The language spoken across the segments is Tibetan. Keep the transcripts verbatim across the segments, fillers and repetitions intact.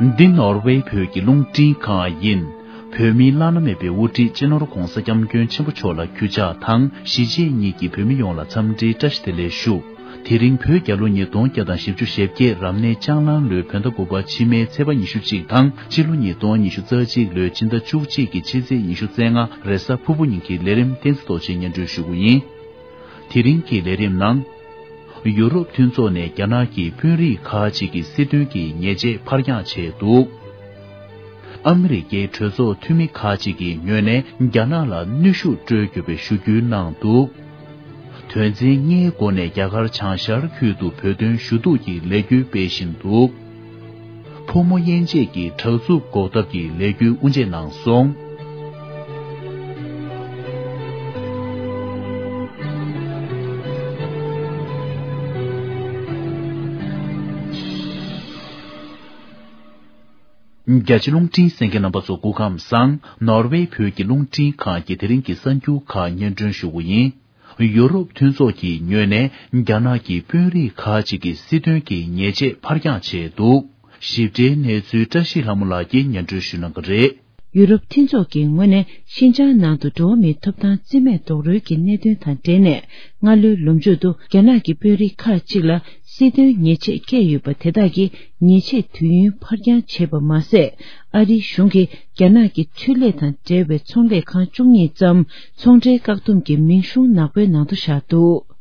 འདི་ནོར་ཝེ་བོད་ཀྱི་རླུང་འཕྲིན་ཁང་ཡིན། བོད་མིའི་བླ་ན་མེད་པའི་དབུ་ཁྲིད་སྤྱི་ནོར་༧གོང་ས་༧སྐྱབས་མགོན་ཆེན་པོ་མཆོག་ལ་གུས་ཕྱག་དང་གཞིས་བྱེས་གཉིས་ཀྱི་བོད་མི་ཡོངས་ལ་འཚམས་འདྲིའི་བཀྲ་ཤིས་བདེ་ལེགས་ཞུ། དེ་རིང་བོད་རྒྱལ་ལོ་ཉིས་སྟོང་བརྒྱ་དང་བཞི་བཅུ་ཞེ་བརྒྱད་རབ་གནས་ལྕགས་གླང་ལོའི་བོད་ཟླ་དགུ་པ་ཕྱི་མའི་ཚེས་པ་ཉི་ཤུ་གཅིག་དང་སྤྱི་ལོ་ཉིས་སྟོང་ཉི་ཤུ་རྩ་གཅིག་ལོའི་སྤྱི་ཟླ་བཅུ་གཅིག་གི་ཕྱི་ཚེས་ཉི་ཤུ་རྩ་ལྔ་རེས་གཟའ་ཕུར་བུ་ཉིན་གྱི་ལས་རིམ་བསྟན་འཛིན་རྡོ་རྗེས་སྙན་སྒྲོན་ཞུ་རྒྱུ་ཡིན། དེ་རིང་གི་ལས་རིམ་ནང་། ཡུ་རོབ་མཐུན་ཚོགས་ནས་རྒྱ་ནག་གི་དཔོན་རིགས་ཁག་ཅིག་གི་སྲིད་དོན་གྱི་ཉེས་ཆད་ཕར་འགྱངས་བྱས་འདུག་ཨ་མི་རི་ཀའི་གྲོས་ཚོགས་འཐུས་མི་ཁག་ཅིག་གི་ངོས་ནས་རྒྱ་ནག་ལ་གནོན་ཤུགས་སྤྲོད་དགོས་པའི་ཞུ་སྐུལ་གནང་འདུག་དོན་ཚན་ལྔའི་སྒོ་ནས་རྒྱ་གར་བྱང་ཤར་ཁུལ་དུ་བོད་དོན་ཞུ་གཏུག་གི་ལས་འགུལ་སྤེལ་བཞིན་འདུག་ཕོ་མོ་དབྱེ་འབྱེད་ཀྱི་དྲག་རྩུབ་འགོག་ཐབས་ཀྱི་ལས་འགུལ་དབུ་འབྱེད་གནང་སོང་། རྒྱ་ཆེ་རླུང་འཕྲིན་གསན་མཁན་རྣམ་པ་ཚོ་སྐུ་ཁམས་བཟང་། ནོར་ཝེ་བོད་ཀྱི་རླུང་འཕྲིན་ཁང་གི་དེ་རིང་གི་གསར་འགྱུར་ཁག་སྙན་སྒྲོན་ཞུ་རྒྱུ་ཡིན། ཡུ་རོབ་མཐུན་ཚོགས་ཀྱི་ངོས་ནས་རྒྱ་ནག་གི་དཔོན་རིགས་ཁག་ཅིག་གི་སྲིད་དོན་གྱི་ཉེས་ཆད་ཕར་འགྱངས་བྱས་འདུག་ཞིབ་ཕྲའི་གནས་ཚུལ་བཀྲ་ཤིས་ལྷ་མོ་ལགས་ཀྱིས་སྙན་སྒྲོན་ཞུ་གནང་གི་རེད། ཡུ་རོབ་མཐུན་ཚོགས་ཀྱི་ངོས་ནས་ཤིན་ཅང་ནང་དུ་འགྲོ་བ་མིའི་ཐོབ་ཐང་རྩིས་མེད་རྡོག་རོལ་གྱི་གནད་དོན་དང་འབྲེལ་ནས་སྔ་ལོའི་ལོ་མཇུག་ཏུ་རྒྱ་ནག་གི་དཔོན་རིགས་ཁག་ཅིག་ལ་སྲིད་དོན་ཉེས་ཆད་བཀལ་ཡོད་པ་དེ་དག་གི་ཉེས་ཆད་དུས་ཡུན་ཕར་འགྱངས་བྱས་པ་མ་ཟད། ཨ་རིའི་གཞུང་གིས་རྒྱ་ནག་གི་འཕྲུལ་ལས་དང་འབྲེལ་བའི་ཚོང་ལས་ཁང་བཅུ་གཉིས་ཙམ་ཚོང་འབྲེལ་བཀག་སྡོམ་གྱི་མིང་གཞུང་ནག་པོའི་ནང་དུ་བཞག་འདུག་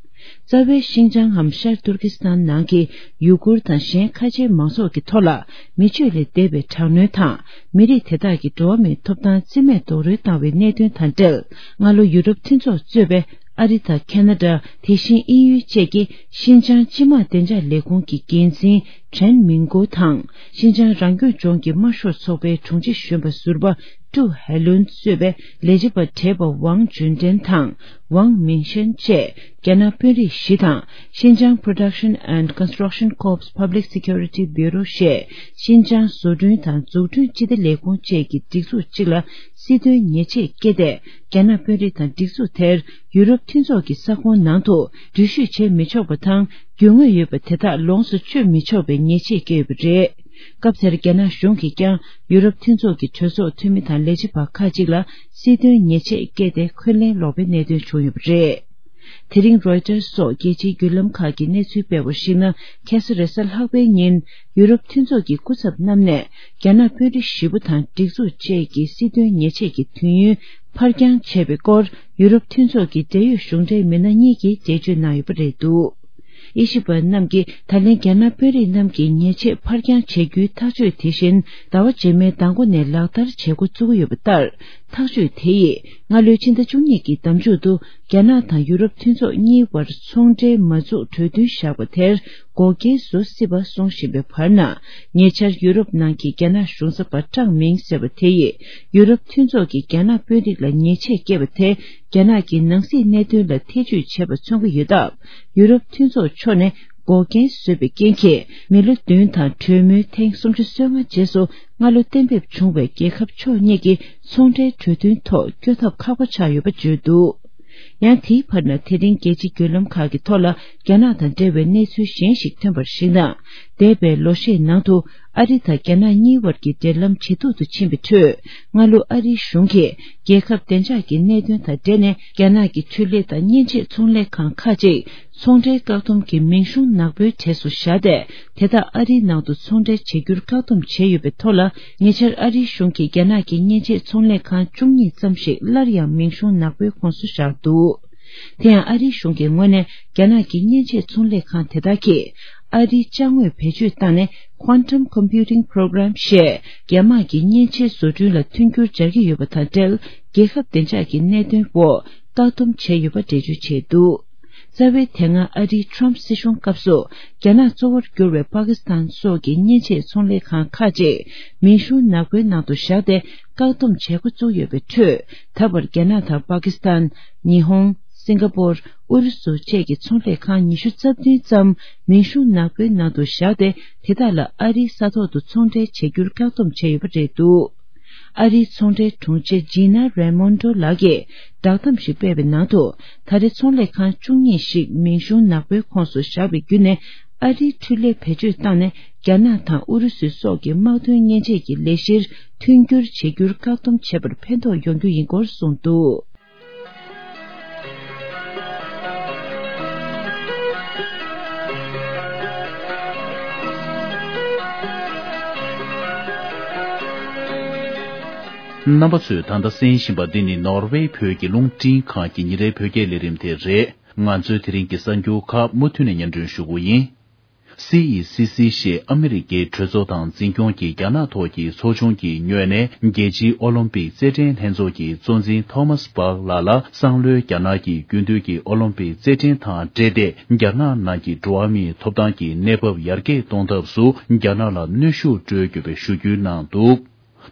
རྩ་བའི་ཤིན་ཅང་ངམ་ཤར་ཏུར་ཀི་སི་ཐན་ནང་གི་ཡུ་གུར་དང་གཞན་ཁ་ཆེའི་མང་ཚོགས་ཀྱི་ཐོག་ལ་མི་སྤྱོད་ལས་འདས་པའི་དྲག་གནོན་དང་མི་རིགས་དེ་དག་གི་འགྲོ་བ་མིའི་ཐོབ་ཐང་རྩིས་མེད་རྡོག་རོལ་བཏང་བའི་གནད་དོན་དང་འབྲེལ། སྔ་ལོ་ཡུ་རོབ་མཐུན་ཚོགས་གཙོས་པའི་ཨ་རི་དང་ཁེ་ན་ཌ། དེ་བཞིན་དབྱིན་ཡུལ་བཅས་ཀྱི་ཤིན་ཅང་སྤྱི་དམངས་བདེ་འཇགས་ལས་ཁུངས་ཀྱི་འགན་འཛིན་ཁྲེན་མིང་ཀོ་དང་། ཤིན་ཅང་རང་སྐྱོང་ལྗོངས་ཀྱི་དམར་ཤོག་ཚོགས་པའི་དྲུང་ཆེ་གཞོན་པ་ཟུར་པ་ཀྲུའུ་ཧའེ་ལུན་གཙོས་པའི་ལས་བྱེད་པ་བགྲེས་པ་ཝང་ཅུན་ཀྲེན་དང་ཝང་མིང་ཤན་བཅས་རྒྱ་ནག་དཔོན་རིགས་བཞི་དང་། ཤིན་ཅང་Production and Construction Corps Public Security Bureau ཞེས་ཤིན་ཅང་བཟོ་སྐྲུན་དང་འཛུགས་སྐྲུན་སྤྱི་བདེ་ལས་ཁུངས་བཅས་ཀྱི་སྒྲིག་འཛུགས་གཅིག་ལ་སྲིད་དོན་ཉེས་ཆད་བཀལ་ཏེ། རྒྱ་ནག་དཔོན་རིགས་དང་སྒྲིག་འཛུགས་དེར་ཡུ་རོབ་མཐུན་ཚོགས་ཀྱི་ས་ཁོངས་ནང་དུ་འགྲུལ་བཞུད་བྱེད་མི་ཆོག་པ་དང་རྒྱུས་མངའ་ཡོད་པ་དེ་དག་ལོངས་སུ་སྤྱོད་མི་ཆོག་པའི་ཉེས་ཆད་བཀལ་ཡོད་པ་རེད། སྐབས་དེར་རྒྱ་ནག་གཞུང་གིས་ཀྱང་ཡུ་རོབ་མཐུན་ཚོགས་ཀྱི་གྲོས་ཚོགས་འཐུས་མི་དང་ལས་བྱེད་པ་ཁག་ཅིག་ལ་སྲིད་དོན་ཉེས་ཆད་བཀལ་ཏེ་འཁོན་ལན་སློག་པའི་གནད་དོན་བྱུང་ཡོད་པ་རེད། དེ་རིང་རོའི་ཊར་སོགས་རྒྱལ་སྤྱིའི་བརྒྱུད་ལམ་ཁག་གིས་གནས་ཚུལ་སྤེལ་བར་གཞིགས་ན། ཁ་སང་རེས་གཟའ་ལྷག་པའི་ཉིན་ཡུ་རོབ་མཐུན་ཚོགས་ཀྱི་སྐུ་ཚབ་རྣམས་ནས་རྒྱ་ནག་དཔོན་རིགས་བཞི་པོ་དང་སྒྲིག་འཛུགས་བཅས་ཀྱི་སྲིད་དོན་ཉེས་ཆད་ཀྱི་དུས་ཡུན་ཕར་འགྱངས་བྱས་པའི་སྐོར་ཡུ་རོབ་མཐུན་ཚོགས་ཀྱི་འབྲེལ་ཡོད་གཞུང་འབྲེལ་མི་སྣ་གཉིས་ཀྱིས་འགྲེལ་བརྗོད་གནང་ཡོད་པ་རེད་འདུག་དབྱེ་ཞིབ་པ་རྣམས་ཀྱིས་ད་ལན་རྒྱ་ནག་དཔོན་རིགས་རྣམས་ཀྱི་ཉེས་ཆད་ཕར་འགྱངས་བྱེད་རྒྱུའི་ཐག་གཅོད་དེ་བཞིན་ཟླ་བ་རྗེས་མའི་ཟླ་མགོ་ནས་ལག་བསྟར་བྱེད་འགོ་བཙུགས་ཡོད་པ་ལྟར། ཐག་གཅོད་དེ་ཡིས་སྔ་ལོའི་ཕྱི་ཟླ་བཅུ་གཉིས་ཀྱི་ཟླ་མཇུག་ཏུ་རྒྱ་ནག་དང་ཡུ་རོབ་མཐུན་ཚོགས་གཉིས་བར་ཚོང་འབྲེལ་མ་འཛུགས་གྲོས་མཐུན་བཞག་པ་དེར་འགོག་རྐྱེན་བཟོ་སྲིད་པ་གསུང་བཞིན་པའི་བར་ན། ཉེ་ཆར་ཡུ་རོབ་ནང་གི་རྒྱ་ནག་གཞུང་ཚབ་པ་ཀྲང་མིང་ཟེར་བ་དེ་ཡིས་ཡུ་རོབ་མཐུན་ཚོགས་ཀྱིས་རྒྱ་ནག་དཔོན་རིགས་ལ་ཉེས་ཆད་བཀལ་བ་དེ་རྒྱ་ནག་གི་ནང་སྲིད་གནད་དོན་ལ་ཐེ་ཇུས་བྱས་པ་མཚོན་གྱི་ཡོད་སྟབས། ཡུ་རོབ་མཐུན་ཚོགས་ཕྱོགས་ནས་འགོག་རྐྱེན་བཟོས་པའི་རྐྱེན་གྱིས་མི་ལོ་བདུན་དང་གྲོས་མོལ་ཐེངས་སུམ་ཅུ་སོ་ལྔ་རྗེས་སུ་སྔ་ལོ་གཏན་འབེབས་བྱུང་བའི་རྒྱལ་ཁབ་ཕྱོགས་གཉིས་ཀྱི་ཚོང་འབྲེལ་གྲོས་མཐུན་ཐོག་བསྐྱོད་ཐབས་ཁག་པོ་ཆགས་ཡོད་པ་བརྗོད་འདུག་ཡང་དེའི་བར་ན་དེ་རིང་རྒྱལ་སྤྱིའི་བརྒྱུད་ལམ་ཁག་གི་ཐོག་ལ་རྒྱ་ནག་དང་འབྲེལ་བའི་གནས་ཚུལ་གཞན་ཞིག་ཐོན་པར་གཞིགས་ན། འདས་པའི་ལོ་ཤས་ནང་དུ་ཨ་རི་དང་རྒྱ་ནག་གཉིས་བར་གྱི་འབྲེལ་ལམ་ཇེ་སྡུག་ཏུ་ཕྱིན་པའི་ཁྲོད། སྔ་ལོ་ཨ་རིའི་གཞུང་གིས་རྒྱལ་ཁབ་བདེ་འཇགས་ཀྱི་གནད་དོན་དང་འབྲེལ་ནས་རྒྱ་ནག་གི་འཕྲུལ་ལས་དང་མཉེན་ཆས་ཚོང་ལས་ཁང་ཁག་ཅིག་ཚོང་འབྲེལ་བཀག་སྡོམ་གྱི་མིང་གཞུང་ནག་པོའི་གྲས་སུ་བཞག་སྟེ། དེ་དག་ཨ་རིའི་ནང་དུ་ཚོང་འབྲེལ་བྱེད་རྒྱུར་བཀག་སྡོམ་བྱས་ཡོད་པའི་ཐོག་ལ། ཉེ་ཆར་ཨ་རིའི་གཞུང་གིས་རྒྱ་ནག་གི་མཉེན་ཆས་ཚོང་ལས་ཁང་བཅུ་གཉིས་ཙམ་ཞིག་སླར་ཡང་མིང་གཞུང་ནག་པོའི་ཁོངས་སུ་བཞག་འདུག་དེ་ཡང་ཨ་རིའི་གཞུང་གི་ངོས་ནས་རྒྱ་ནག་གི་མཉེན་ཆས་ཚོང་ལས་ཁང་དེ་དག་གིས་ཨ་རིའི་ཅ་དངོས་བེད་སྤྱོད་བཏང་ནས་Quantum Computing Program ཞེས་རྒྱ་དམག་གི་མཉེན་ཆས་བཟོ་སྐྲུན་ལ་མཐུན་འགྱུར་སྦྱར་གྱི་ཡོད་པ་དང་འབྲེལ། རྒྱལ་ཁབ་བདེ་འཇགས་ཀྱི་གནད་དོན་འོག་བཀག་སྡོམ་བྱས་ཡོད་པ་འགྲེལ་བརྗོད་བྱས་འདུག་རྩ་བའི་དེ་སྔ་ཨ་རིའི་ཊམ་སྲིད་གཞུང་སྐབས་སུ་རྒྱ་ནག་གཙོ་བོར་གྱུར་བའི་པ་ཀི་སི་ཐན་སོགས་ཀྱི་མཉེན་ཆས་ཚོང་ལས་ཁང་ཁག་ཅིག་མིང་གཞུང་ནག་པོའི་ནང་དུ་བཞག་སྟེ། བཀག་སྡོམ་བྱེད་འགོ་བཙུགས་ཡོད་པའི་ཁྲོད། ད་བར་རྒྱ་ནག་དང་པ་ཀི་སི་ཐན། ཉི་ཧོང་། སིང་ག་པོར། ཨུ་རུ་སུ་བཅས་ཀྱི་ཚོང་ལས་ཁང་ཉི་ཤུ་རྩ་བདུན་ཙམ་མིང་གཞུང་ནག་པོའི་ནང་དུ་བཞག་སྟེ། དེ་དག་ལ་ཨ་རིའི་ས་ཐོག་ཏུ་ཚོང་འབྲེལ་བྱེད་རྒྱུར་བཀག་སྡོམ་བྱས་ཡོད་པ་རེད་འདུག་ཨ་རིའི་ཚོང་འབྲེལ་དྲུང་ཆེ་ཇི་ན་རེ་མོན་ཏོ་ལགས་ཀྱིས་བསྒྲགས་གཏམ་ཞིག་སྤེལ་བའི་ནང་དུ། ད་རེས་ཚོང་ལས་ཁང་བཅུ་གཉིས་ཤིག་མིང་གཞུང་ནག་པོའི་ཁོངས་སུ་བཞག་པའི་བརྒྱུད་ནས། ཨ་རིའི་འཕྲུལ་ལས་བེད་སྤྱོད་བཏང་ནས། རྒྱ་ནག་དང་ཨུ་རུ་སུའི་སོགས་ཀྱི་དམག་དོན་མཉེན་ཆས་ཀྱི་ལས་གཞིར་མཐུན་འགྱུར་བྱེད་རྒྱུར་བཀག་སྡོམ་བྱེད་པར་ཕན་ཐོགས་ཡོང་རྒྱུ་ཡིན་སྐོར་གསུངས་འདུག། རྣམ་པ་ཚོས་ད་ལྟ་གསན་བཞིན་པ་འདི་ནི་ནོར་ཝེ་བོད་ཀྱི་རླུང་འཕྲིན་ཁང་གི་ཉིན་རེའི་བོད་སྐད་ལས་རིམ་དེ་རེད། ང་ཚོའི་དེ་རིང་གི་གསར་འགྱུར་ཁག་མུ་མཐུད་ནས་སྙན་སྒྲོན་ཞུ་གི་ཡིན། སི་ཨི་སི་སི་ཞེས་ཨ་མི་རི་ཀའི་གྲོས་ཚོགས་དང་འཛིན་སྐྱོང་གི་རྒྱ་ནག་ཐོག་གི་ཚོགས་ཆུང་གི་ངོས་ནས་རྒྱལ་སྤྱིའི་ཨོ་ལིམ་པིག་རྩེད་འགྲན་ལྷན་ཚོགས་ཀྱི་གཙོ་འཛིན་ཐོ་མཱས་པཱག་ལགས་ལ་སང་ལོའི་རྒྱ་ནག་གི་རྒྱུན་སྡོད་ཀྱི་ཨོ་ལིམ་པིག་རྩེད་འགྲན་དང་འབྲེལ་ཏེ། རྒྱ་ནག་ནང་གི་འགྲོ་བ་མིའི་ཐོབ་ཐང་གི་གནས་བབ་ཡར་རྒྱས་གཏོང་ཐབས་སུ་རྒྱ་ནག་ལ་གནོན་ཤུགས་སྤྲོད་དགོས་པའི་ཞུ་སྐུལ་གནང་འདུག།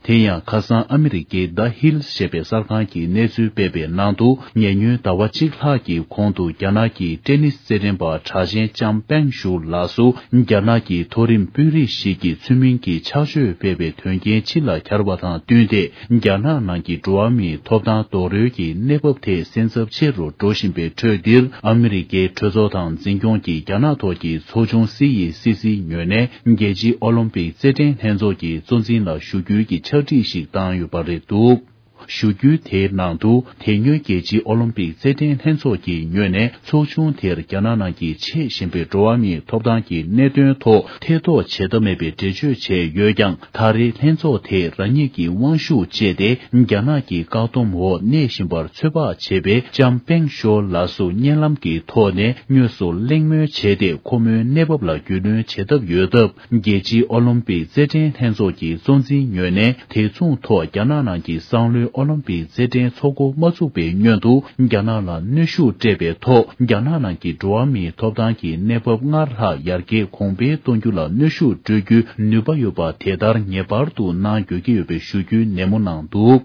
དེ་ཡང་ཁ་སང་ཨ་མི་རི་ཀའི་The Hill ཞེས་པའི་གསར་ཁང་གིས་གནས་ཚུལ་སྤེལ་བའི་ནང་དུ། ཉེ་སྔོན་ཟླ་བ་གཅིག་ལྷག་གི་གོང་དུ་རྒྱ་ནག་གི་ཏེ་ནིས་རྩེད་འགྲན་པ་གྲགས་ཅན་ལྕམ་པེང་ཞུ་ལགས་སུ་རྒྱ་ནག་གི་མཐོ་རིམ་དཔོན་རིགས་ཤིག་གིས་ཚུལ་མིན་གྱི་ཕྱག་མཆོད་སྤེལ་བའི་དོན་རྐྱེན་ཕྱི་ལ་གྱར་བ་དང་བསྟུན་ཏེ། རྒྱ་ནག་ནང་གི་འགྲོ་བ་མིའི་ཐོབ་ཐང་རྡོག་རོལ་གྱི་གནས་བབ་དེ་སེམས་འཚབ་ཆེ་རུ་འགྲོ་བཞིན་པའི་ཁྲོད་འདིར། ཨ་མི་རི་ཀའི་གྲོས་ཚོགས་དང་འཛིན་སྐྱོང་གི་རྒྱ་ནག་ཐོག་གི་ཚོགས་ཆུང་སི་ཨི་སི་སིའི་ངོས་ནས་རྒྱལ་སྤྱིའི་ཨོ་ལིམ་པིག་རྩེད་འགྲན་ལྷན་ཚོགས་ཀྱི་གཙོ་འཛིན་ལ་ཞུ་སྐུལ་གྱི་ཕྱག་བྲིས་ཤིག་བཏང་ཡོད་པ་རེད་འདུག། ཞུ་སྐུལ་དེའི་ནང་དུ། དེ་སྔོན་རྒྱལ་སྤྱིའི་ཨོ་ལིམ་པིག་རྩེད་འགྲན་ལྷན་ཚོགས་ཀྱི་ངོས་ནས་ཚོགས་ཆུང་དེར་རྒྱ་ནག་ནང་གི་ཆད་ཞན་པའི་འགྲོ་བ་མིའི་ཐོབ་ཐང་གི་གནད་དོན་ཐོག་ཐེ་གཏོགས་བྱེད་ཐབས་མེད་པའི་འགྲེལ་བརྗོད་བྱས་ཡོད་ཀྱང་། ད་རེས་ལྷན་ཚོགས་དེས་རང་ཉིད་ཀྱི་དབང་ཤུགས་སྤྱད་དེ། རྒྱ་ནག་གི་བཀག་སྡོམ་འོག་གནས་བཞིན་པར་ཚོད་དཔག་བྱས་པའི་ལྕམ་པེང་ཞོ་ལགས་སུ་བརྙན་ལམ་གྱི་ཐོག་ནས་དངོས་སུ་གླེང་མོལ་བྱས་ཏེ། ཁོ་མོའི་གནས་བབ་ལ་རྒྱུས་ལོན་བྱེད་ཐབས་ཡོད་སྟབས། རྒྱལ་སྤྱིའི་ཨོ་ལིམ་པིག་རྩེད་འགྲན་ལྷན་ཚོགས་ཀྱི་གཙོ་འཛིན་ངོས་ནས། དེ་མཚུངས་ཐོག་རྒྱ་ནག་ནང་གི་སང་ལོའི་ཨོ་ལིམ་པིག་རྩེད་འགྲན་ཚོགས་འགོ་མ་ཚུགས་པའི་སྔོན་དུ། རྒྱ་ནག་ལ་གནོན་ཤུགས་སྤྲད་པའི་ཐོག་རྒྱ་ནག་ནང་གི་འགྲོ་བ་མིའི་ཐོབ་ཐང་གི་གནས་བབ་སྔར་ལྷག་ཡར་རྒྱས་གོང་འཕེལ་གཏོང་རྒྱུ་ལ་གནོན་ཤུགས་སྤྲོད་རྒྱུའི་ནུས་པ་ཡོད་པ་དེ་ལྟར་ངེས་པར་དུ་གནང་དགོས་ཀྱི་ཡོད་པའི་ཞུ་སྐུལ་ནན་མོ་གནང་འདུག།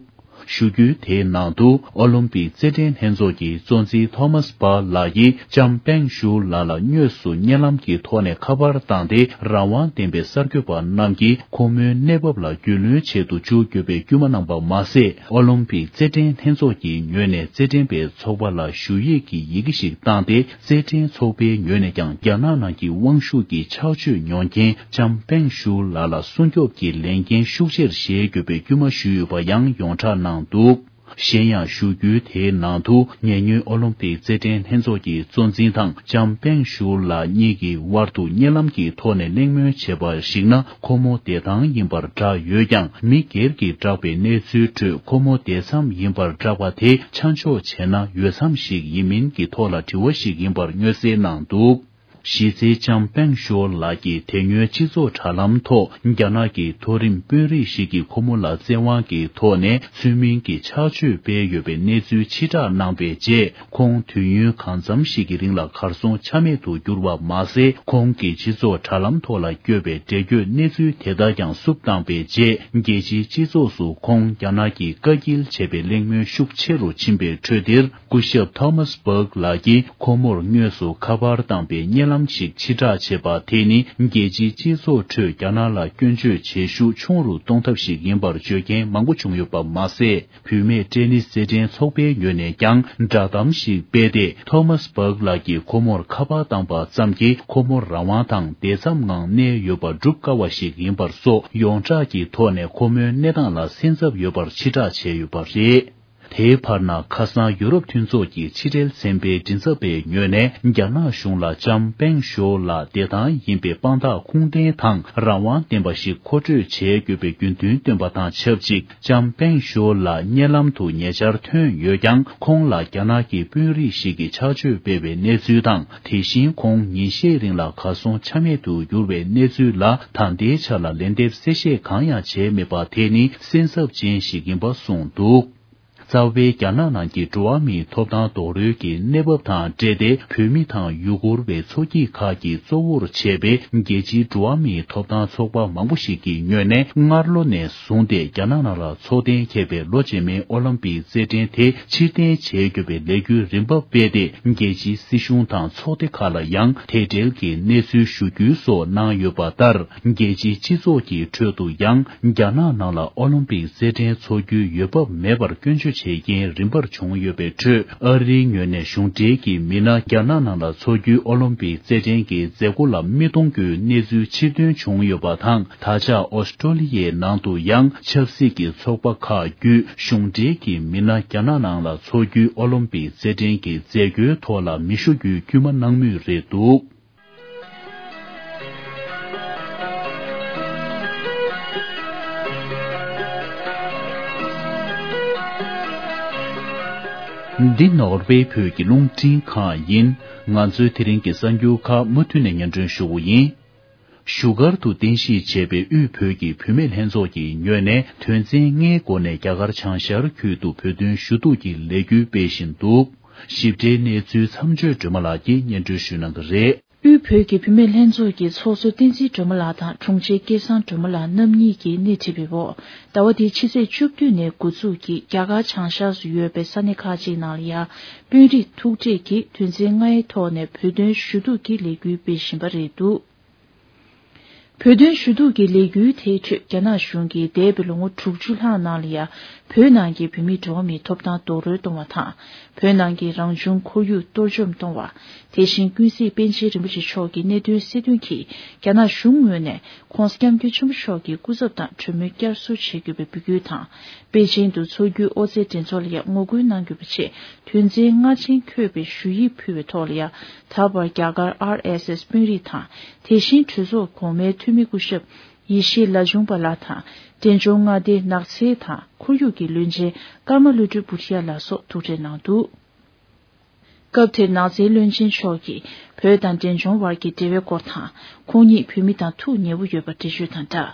ཞུ་སྐུལ་དེའི་ནང་དུ། ཨོ་ལིམ་པིག་རྩེད་འགྲན་ལྷན་ཚོགས་ཀྱི་གཙོ་འཛིན་ཐོ་མཱས་པཱ་ལགས་ཀྱིས་ལྕམ་པེང་ཞུ་ལགས་ལ་དངོས་སུ་བརྙན་ལམ་གྱི་ཐོག་ནས་ཁ་པར་བཏང་སྟེ། རང་དབང་ལྡན་པའི་གསར་འགོད་པ་རྣམས་ཀྱིས་ཁོ་མོའི་གནས་བབ་ལ་རྒྱུས་ལོན་བྱེད་དུ་འཇུག་དགོས་པའི་སྐུལ་མ་གནང་པ་མ་ཟད། ཨོ་ལིམ་པིག་རྩེད་འགྲན་ལྷན་ཚོགས་ཀྱི་ངོས་ནས་རྩེད་འགྲན་པའི་ཚོགས་པ་ལ་ཞུ་ཡིག་གི་ཡི་གེ་ཞིག་བཏང་སྟེ། རྩེད་འགྲན་ཚོགས་པའི་ངོས་ནས་ཀྱང་རྒྱ་ནག་ནང་གི་དབང་ཤུགས་ཀྱི་ཆག་སྤྱོད་མྱོང་མཁན་ལྕམ་པེང་ཞུ་ལགས་ལ་སྲུང་སྐྱོབ་ཀྱི་ལས་འགན་ཤུགས་ཆེར་བཞེས་དགོས་པའི་སྐུལ་མ་ཞུས་ཡོད་པ་ཡང་ཡོངས་གྲགས་གནང་འདུག། གཞན་ཡང་། ཞུ་སྐུལ་དེའི་ནང་དུ། ཉེ་སྔོན་ཨོ་ལིམ་པིག་རྩེད་འགྲན་ལྷན་ཚོགས་ཀྱི་གཙོ་འཛིན་དང་ལྕམ་པེང་ཞུ་ལགས་གཉིས་ཀྱི་དབར་དུ་བརྙན་ལམ་གྱི་ཐོག་ནས་གླེང་མོལ་བྱས་པར་གཞིགས་ན། ཁོ་མོ་བདེ་ཐང་ཡིན་པར་བསྒྲགས་ཡོད་ཀྱང་། མི་སྒེར་གྱིས་བསྒྲགས་པའི་གནས་ཚུལ་ཁྲོད། ཁོ་མོ་བསྡད་མཚམས་ཡིན་པར་བསྒྲགས་པ་དེ་ཆ་འཇོག་བྱས་ན། ཡོད་མཚམས་ཤིག་ཡིན་མིན་གྱི་ཐོག་ལ་དྲི་བ་ཞིག་ཡིན་པར་མངོན་གསལ་གནང་འདུག། གཞི་རྩའི་ལྕམ་པེང་ཞོ་ལགས་ཀྱིས་དེ་སྔོན་སྤྱི་ཚོགས་དྲ་ལམ་ཐོག་རྒྱ་ནག་གི་མཐོ་རིམ་དཔོན་རིགས་ཤིག་གིས་ཁོ་མོ་ལ་བཙན་དབང་གི་ཐོག་ནས་ཚུལ་མིན་གྱི་ཆག་སྤྱོད་སྤེལ་ཡོད་པའི་གནས་ཚུལ་ཕྱིར་བསྒྲགས་གནང་པའི་རྗེས། ཁོང་དུས་ཡུན་གང་འཚམ་ཞིག་གི་རིང་ལ་གར་སོང་ཆ་མེད་དུ་གྱུར་བ་མ་ཟད། ཁོང་གིས་སྤྱི་ཚོགས་དྲ་ལམ་ཐོག་ལ་བསྐྱོད་པའི་འགྲེལ་བརྗོད་གནས་ཚུལ་དེ་དག་ཀྱང་བསུབ་བཏང་པའི་རྗེས། རྒྱལ་སྤྱིའི་སྤྱི་ཚོགས་སུ་ཁོང་རྒྱ་ནག་གིས་བཀའ་འགྱེལ་བྱས་པའི་གླེང་མོལ་ཤུགས་ཆེ་རུ་ཕྱིན་པའི་ཁྲོད་འདིར། སྐུ་ཞབས་ཐོ་མཱས་བྷག་ལགས་ཀྱིས་ཁོ་མོར་དངོས་སུ་ཁ་པར་བཏང་པའི་བརྙན་ལམ་ཞིག་ཕྱིར་བསྒྲགས་བྱས་པ་དེ་ནི། རྒྱལ་སྤྱིའི་སྤྱི་ཚོགས་ཁྲོད་རྒྱ་ནག་ལ་སྐྱོན་བརྗོད་བྱེད་ཤུགས་ཆུང་རུ་གཏོང་ཐབས་ཤིག་ཡིན་པར་བརྗོད་མཁན་མང་པོ་བྱུང་ཡོད་པ་མ་ཟད། བུད་མེད་ཏེ་ནིས་རྩེད་འགྲན་ཚོགས་པའི་ངོས་ནས་ཀྱང་བསྒྲགས་གཏམ་ཞིག་སྤེལ་ཏེ། ཐོ་མཱས་བྷག་ལགས་ཀྱིས་ཁོ་མོར་ཁ་པར་བཏང་པ་ཙམ་གྱིས་ཁོ་མོ་རང་དབང་དང་བདེ་མཚམས་ངང་གནས་ཡོད་པ་སྒྲུབ་དཀའ་བ་ཞིག་ཡིན་པར་སོགས། ཡོངས་གྲགས་ཀྱི་ཐོག་ནས་ཁོ་མོའི་གནས་སྟངས་ལ་སེམས་འཚབ་ཡོད་པར་ཕྱིར་བསྒྲགས་བྱས་ཡོད་པ་རེད། དེའི་བར་ན། ཁ་སང་ཡུ་རོབ་མཐུན་ཚོགས་ཀྱི་ཕྱི་འབྲེལ་ཚན་པའི་མགྲིན་ཚབ་པའི་ངོས་ནས། རྒྱ་ནག་གཞུང་ལ་ལྕམ་པེང་ཞོ་ལགས་བདེ་ཐང་ཡིན་པའི་དཔང་རྟགས་ཁུངས་ལྡན་དང་རང་དབང་ལྡན་པ་ཞིག་མཁོ་སྤྲོད་བྱེད་དགོས་པའི་རྒྱུ་མཐུན་བཏོན་པ་དང་ཆབས་ཅིག། ལྕམ་པེང་ཞོ་ལགས་བརྙན་ལམ་དུ་ཉེ་ཆར་ཐོན་ཡོད་ཀྱང་། ཁོང་ལ་རྒྱ་ནག་གི་དཔོན་རིགས་ཤིག་གིས་ཆག་སྤྱོད་སྤེལ་བའི་གནས་ཚུལ་དང་། དེ་བཞིན་ཁོང་ཉིན་ཤས་རིང་ལ་གར་སོང་ཆ་མེད་དུ་གྱུར་བའི་གནས་ཚུལ་ལ། ད་ལྟའི་ཆ་ལ་ལན་འདེབས་གསལ་བཤད་གང་ཡང་བྱས་མེད་པ་དེ་ནི་སེམས་འཚབ་ཅན་ཞིག་ཡིན་པ་གསུངས་འདུག། རྩ་བའི་རྒྱ་ནག་ནང་གི་འགྲོ་བ་མིའི་ཐོབ་ཐང་རྡོག་རོལ་གྱི་གནས་བབ་དང་འབྲེལ་ཏེ། བོད་མི་དང་ཡུ་གུར་བའི་ཚོགས་སྐྱིད་ཁག་གིས་གཙོ་བོར་བྱས་པའི་རྒྱལ་སྤྱིའི་འགྲོ་བ་མིའི་ཐོབ་ཐང་ཚོགས་པ་མང་པོ་ཞིག་གི་ངོས་ནས། སྔར་ལོ་ནས་བཟུང་སྟེ་རྒྱ་ནག་ནང་ལ་འཚོགས་གཏན་འཁེལ་བའི་ལོ་རྗེས་མའི་ཨོ་ལིམ་པིག་རྩེད་འགྲན་དེ་ཕྱིར་འཐེན་བྱེད་དགོས་པའི་ལས་འགུལ་རིམ་པ་སྤེལ་ཏེ། རྒྱལ་སྤྱིའི་སྲིད་གཞུང་དང་ཚོགས་སྡེ་ཁག་ལ་ཡང་དེ་འབྲེལ་གྱི་གནས་ཚུལ་ཞུ་རྒྱུ་སོགས་གནང་ཡོད་པ་ལྟར། རྒྱལ་སྤྱིའི་སྤྱི་ཚོགས་ཀྱི་ཁྲོད་དུ་ཡང་རྒྱ་ནག་ནང་ལ་ཨོ་ལིམ་པིག་རྩེད་འགྲན་འཚོགས་རྒྱུའི་འོས་བབ་མེད་པར་སྐྱོན་བརྗོད། བྱེད་མཁན་རིམ་པར་བྱུང་ཡོད་པའི་ཁྲོད། ཨ་རིའི་ངོས་ནས་གཞུང་འབྲེལ་གྱི་མི་སྣ་རྒྱ་ནག་ནང་ལ་འཚོགས་རྒྱུའི་ཨོ་ལིམ་པིག་རྩེད་འགྲན་གྱི་མཛད་སྒོ་ལ་མི་གཏོང་རྒྱུའི་གནས་ཚུལ་ཕྱིར་ཐོན་བྱུང་ཡོད་པ་དང་། ད་ཆ་ཨོ་སི་ཀྲོ་ལི་ཡའི་ནང་དུ་ཡང་ཆབ་སྲིད་ཀྱི་ཚོགས་པ་ཁག་བརྒྱུད་གཞུང་འབྲེལ་གྱི་མི་སྣ་རྒྱ་ནག་ནང་ལ་འཚོགས་རྒྱུའི་ཨོ་ལིམ་པིག་རྩེད་འགྲན་གྱི་མཛད་སྒོའི་ཐོག་ལ་མི་ཞུགས་རྒྱུའི་བསྐུལ་མ་གནང་མུས་རེད་འདུག། འདི་ནོར་ཝེ་བོད་ཀྱི་རླུང་འཕྲིན་ཁང་ཡིན། ང་ཚོའི་དེ་རིང་གི་གསར་འགྱུར་ཁག་མུ་མཐུད་ནས་སྙན་སྒྲོན་ཞུ་གི་ཡིན། བཞུགས་སྒར་དུ་རྟེན་གཞི་བྱས་པའི་དབུས་བོད་ཀྱི་བུད་མེད་ལྷན་ཚོགས་ཀྱི་ངོས་ནས་དོན་ཚན་ལྔའི་སྒོ་ནས་རྒྱ་གར་བྱང་ཤར་ཁུལ་དུ་བོད་དོན་ཞུ་གཏུག་གི་ལས་འགུལ་སྤེལ་བཞིན་འདུག། ཞིབ་ཕྲའི་གནས་ཚུལ་མཚམས་སྦྱོར་སྒྲོལ་མ་ལགས་ཀྱིས་སྙན་སྒྲོན་ཞུ་གནང་གི་རེད། དབུས་བོད་ཀྱི་བུད་མེད་ལྷན་ཚོགས་ཀྱི་ཚོགས་གཙོ་བསྟན་འཛིན་སྒྲོལ་མ་ལགས་དང་དྲུང་ཆེ་སྐལ་བཟང་སྒྲོལ་མ་ལགས་རྣམ་གཉིས་ཀྱིས་སྣེ་ཁྲིད་པའི་འོག་ཟླ་བ་འདིའི་ཕྱི་ཚེས་བཅུ་བདུན་ནས་འགོ་འཛུགས་ཀྱིས་རྒྱ་གར་བྱང་ཤར་སུ་ཡོད་པའི་ས་གནས་ཁག་ཅིག་ནང་ལ་ཡང་དཔོན་རིགས་ཐུག་འཕྲད་ཀྱིས་དོན་ཚན་ལྔའི་ཐོག་ནས་བོད་དོན་ཞུ་གཏུག་གི་ལས་འགུལ་སྤེལ་བཞིན་པ་རེད་འདུག། བོད་དོན་ཞུ་གཏུག་གི་ལས་འགུལ་དེའི་ཁྲོད་རྒྱ་ནག་གཞུང་གིས་འདས་པའི་ལོ་ངོ་དྲུག་ཅུ་ལྷག་ནང་ལ་ཡང་བོད་ནང་གི་བོད་མིའི་འགྲོ་བ་མིའི་ཐོབ་ཐང་རྡོག་རོལ་གཏོང་བ་དང་། བོད་ནང་གི་རང་བྱུང་ཁོར་ཡུག་གཏོར་བཅོམ་གཏོང་བ། དེ་བཞིན་ཀུན་གཟིགས་པཎ་ཆེན་རིན་པོ་ཆེ་མཆོག་གི་གནད་དོན་སེལ་དོན་གྱིས་རྒྱ་ནག་གཞུང་ངོས་ནས་༸གོང་ས་༸སྐྱབས་མགོན་ཆེན་པོ་མཆོག་གི་སྐུ་ཚབ་དང་གྲོས་མོལ་བསྐྱར་གསོ་བྱེད་དགོས་པའི་འབོད་སྐུལ་དང་། པེ་ཅིང་དུ་འཚོགས་རྒྱུའི་ཨོ་རྩལ་འགྲན་ཚོགས་ལ་ཡང་ངོ་རྒོལ་གནང་དགོས་པ་བཅས་དོན་ཚན་ལྔ་ཅན་འཁོད་པའི་ཞུ་ཡིག་ཕུལ་བའི་ཐོག་ལ་ཡང་ད་བར་རྒྱ་གར་ཨར་ཨེས་ཨེས་དཔོན་རིགས་དང་། དེ་བཞིན་གྲོས་ཚོགས་གོང་མའི་འཐུས་མི་སྐུ་ཞབས་ཡེ་ཤེས་ལ་ཆུང་པ་ལགས་དང་། འབྲས་ལྗོངས་མངའ་སྡེའི་ནགས་ཚལ་དང་ཁོར་ཡུག་གི་བློན་ཆེན་ཀརྨ་བློ་གྲོས་བུ་ཊི་ཡ་ལགས་སོགས་ཐུག་འཕྲད་གནང་འདུག། སྐབས་དེར་ནགས་ཚལ་བློན་ཆེན་མཆོག་གིས་བོད་དང་འབྲས་ལྗོངས་བར་གྱི་འབྲེལ་བའི་སྐོར་དང་། ཁོང་ཉིད་བོད་མི་དང་ཐུགས་ཉེ་བོ་ཡོད་པ་འགྲེལ་བརྗོད་དང་སྦྲགས།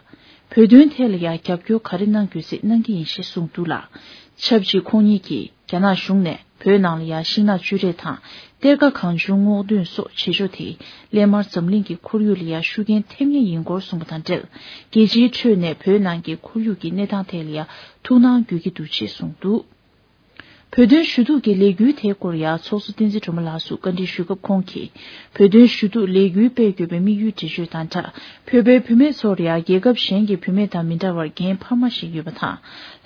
བོད་དོན་ཐད་ལ་ཡང་རྒྱབ་སྐྱོར་ག་རེ་གནང་དགོས་ཚེ་གནང་གི་ཡིན་ཞེས་གསུངས་འདུག་ལ། ཆབས་ཅིག་ཁོང་ཉིད་ཀྱིས་རྒྱ་ནག་གཞུང་ནས་བོད་ནང་ལ་ཡང་ཤིང་ནགས་གཅོད་རེས་དང་། གཏེར་ཁ་གང་བྱུང་སྔོག་འདོན་སོགས་བྱེད་ཕྱོགས་དེས་སླད་མར་འཛམ་གླིང་གི་ཁོར་ཡུག་ལ་ཡང་ཤུགས་རྐྱེན་ཐེབས་ངེས་ཡིན་སྐོར་གསུངས་པ་དང་འབྲེལ། རྒྱལ་སྤྱིའི་ཁྲོད་ནས་བོད་ནང་གི་ཁོར་ཡུག་གི་གནས་སྟངས་ཐད་ལ་ཡང་ཐུགས་སྣང་དགོས་ཀྱི་འདུག་ཅེས་གསུངས་འདུག། བོད་དོན་ཞུ་གཏུག་གི་ལས་འགུལ་དེའི་སྐོར་ཡང་ཚོགས་གཙོ་བསྟན་འཛིན་སྒྲོལ་མ་ལགས་སུ་བཀའ་འདྲི་ཞུས་སྐབས་ཁོང་གིས། བོད་དོན་ཞུ་གཏུག་ལས་འགུལ་སྤེལ་དགོས་པའི་དམིགས་ཡུལ་འགྲེལ་བརྗོད་དང་སྦྲགས། བོད་པའི་བུད་མེད་ཚོར་ཡང་རྒྱལ་ཁབ་གཞན་གྱི་བུད་མེད་དང་མི་འདྲ་བར་འགན་འཕར་མ་ཞིག་ཡོད་པ་དང་།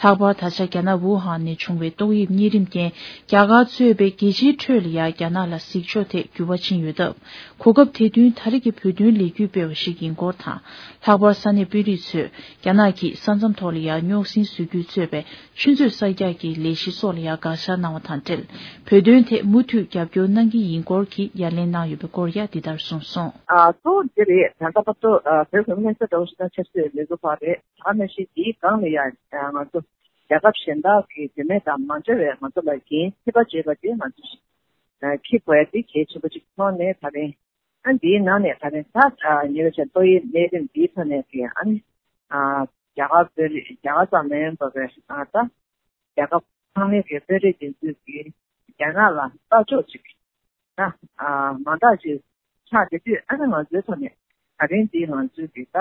ལྷག་པར་ད་ཆ་རྒྱ་ནག་ཝུ་ཧན་ནས་བྱུང་བའི་ཏོག་དབྱིབས་གཉན་རིམས་རྐྱེན་རྒྱ་གར་གཙོས་པའི་རྒྱལ་སྤྱིའི་ཁྲོད་ལ་ཡང་རྒྱ་ནག་ལ་གཟིགས་ཕྱོགས་ཐད་འགྱུར་བ་ཕྱིན་ཡོད་སྟབས། གོ་སྐབས་དེ་བསྟུན་ད་རེས་ཀྱི་བོད་དོན་ལས་འགུལ་སྤེལ་བ་ཞིག་ཡིན་སྐོར་དང་། ལྷག་པར་ས་གནས་དཔོན་རིགས་ཚོས་རྒྱ་ནག་གིས་ས་མཚམས་ཐོག་ལ་ཡང་རྙོག་ཟིང་བཟོ་རྒྱུ་གཙོས་པའི་ཆུ་མཛོད་གསར་རྒྱག་གི་ལས་གཞི་སོགས་ལ་ཡང་དགག་བཞག་གནང་བ་དང་འབྲེལ། བོད་དོན་ཐད་མུ་མཐུད་རྒྱབ་སྐྱོར་གནང་གི་ཡིན་སྐོར་གྱི་ཡ་ལན་གནང་ཡོད་པའི་སྐོར་ཡང་འདི་ལྟར་གསུངས་སོང་། ཨ་གཙོ་བོ་འདི་རེད། ད་ལྟ་བར་དུ་ཨ་བོད་ཁོངས་མི་སེར་འདྲ་བོ་ཞིག་དང་ཆབ་སྲིད་ལས་འགུལ་བ་རེད། ད་ནང་བཞིན་དེའི་སྒང་ལ་ཡང་ང་ཚོ་རྒྱལ་ཁབ་གཞན་དག་གི་བུད་མེད་དང་མ་འདྲ་བའི་ང་ཚོ་ལ་འགན་འཁྱེར་བ་བྱེད་པ་དེ་ང་ཚོ་ཞིག་འཁྱེར་དགོས་ཡ་དེ་གལ་ཆེན་པོ་ཅིག་མཐོང་ནས་ད་རིང་། ཨ་འདིའི་ནང་ནས་ད་རིང་ད་ཉེ་བའི་ཆར་ཏོག་དབྱིབས་ནད་རིམས་འདིའི་ཐོག་ནས་ཀྱི་ཨ་ནི་ཨ་རྒྱ་གར་དཔོན་རིགས་རྒྱ་གར་ཙམ་མ་ཡིན་པ་བའི་ཨ་ད་རྒྱལ་ཁབ་ཚང་མའི་གི་དཔོན་རིགས་དེ་ཚོས་ཀྱི་རྒྱ་ནག་ལ་ལྟ་ཕྱོགས་ཅིག་ད་ཨ་མ་འདྲ་ཅིག་ཆགས་བསྡད་དུས་ཨ་ནི་ང་ཚོའི་ཐོག་ནས་ད་རིང་འདི་ང་ཚོའི་གི་ད་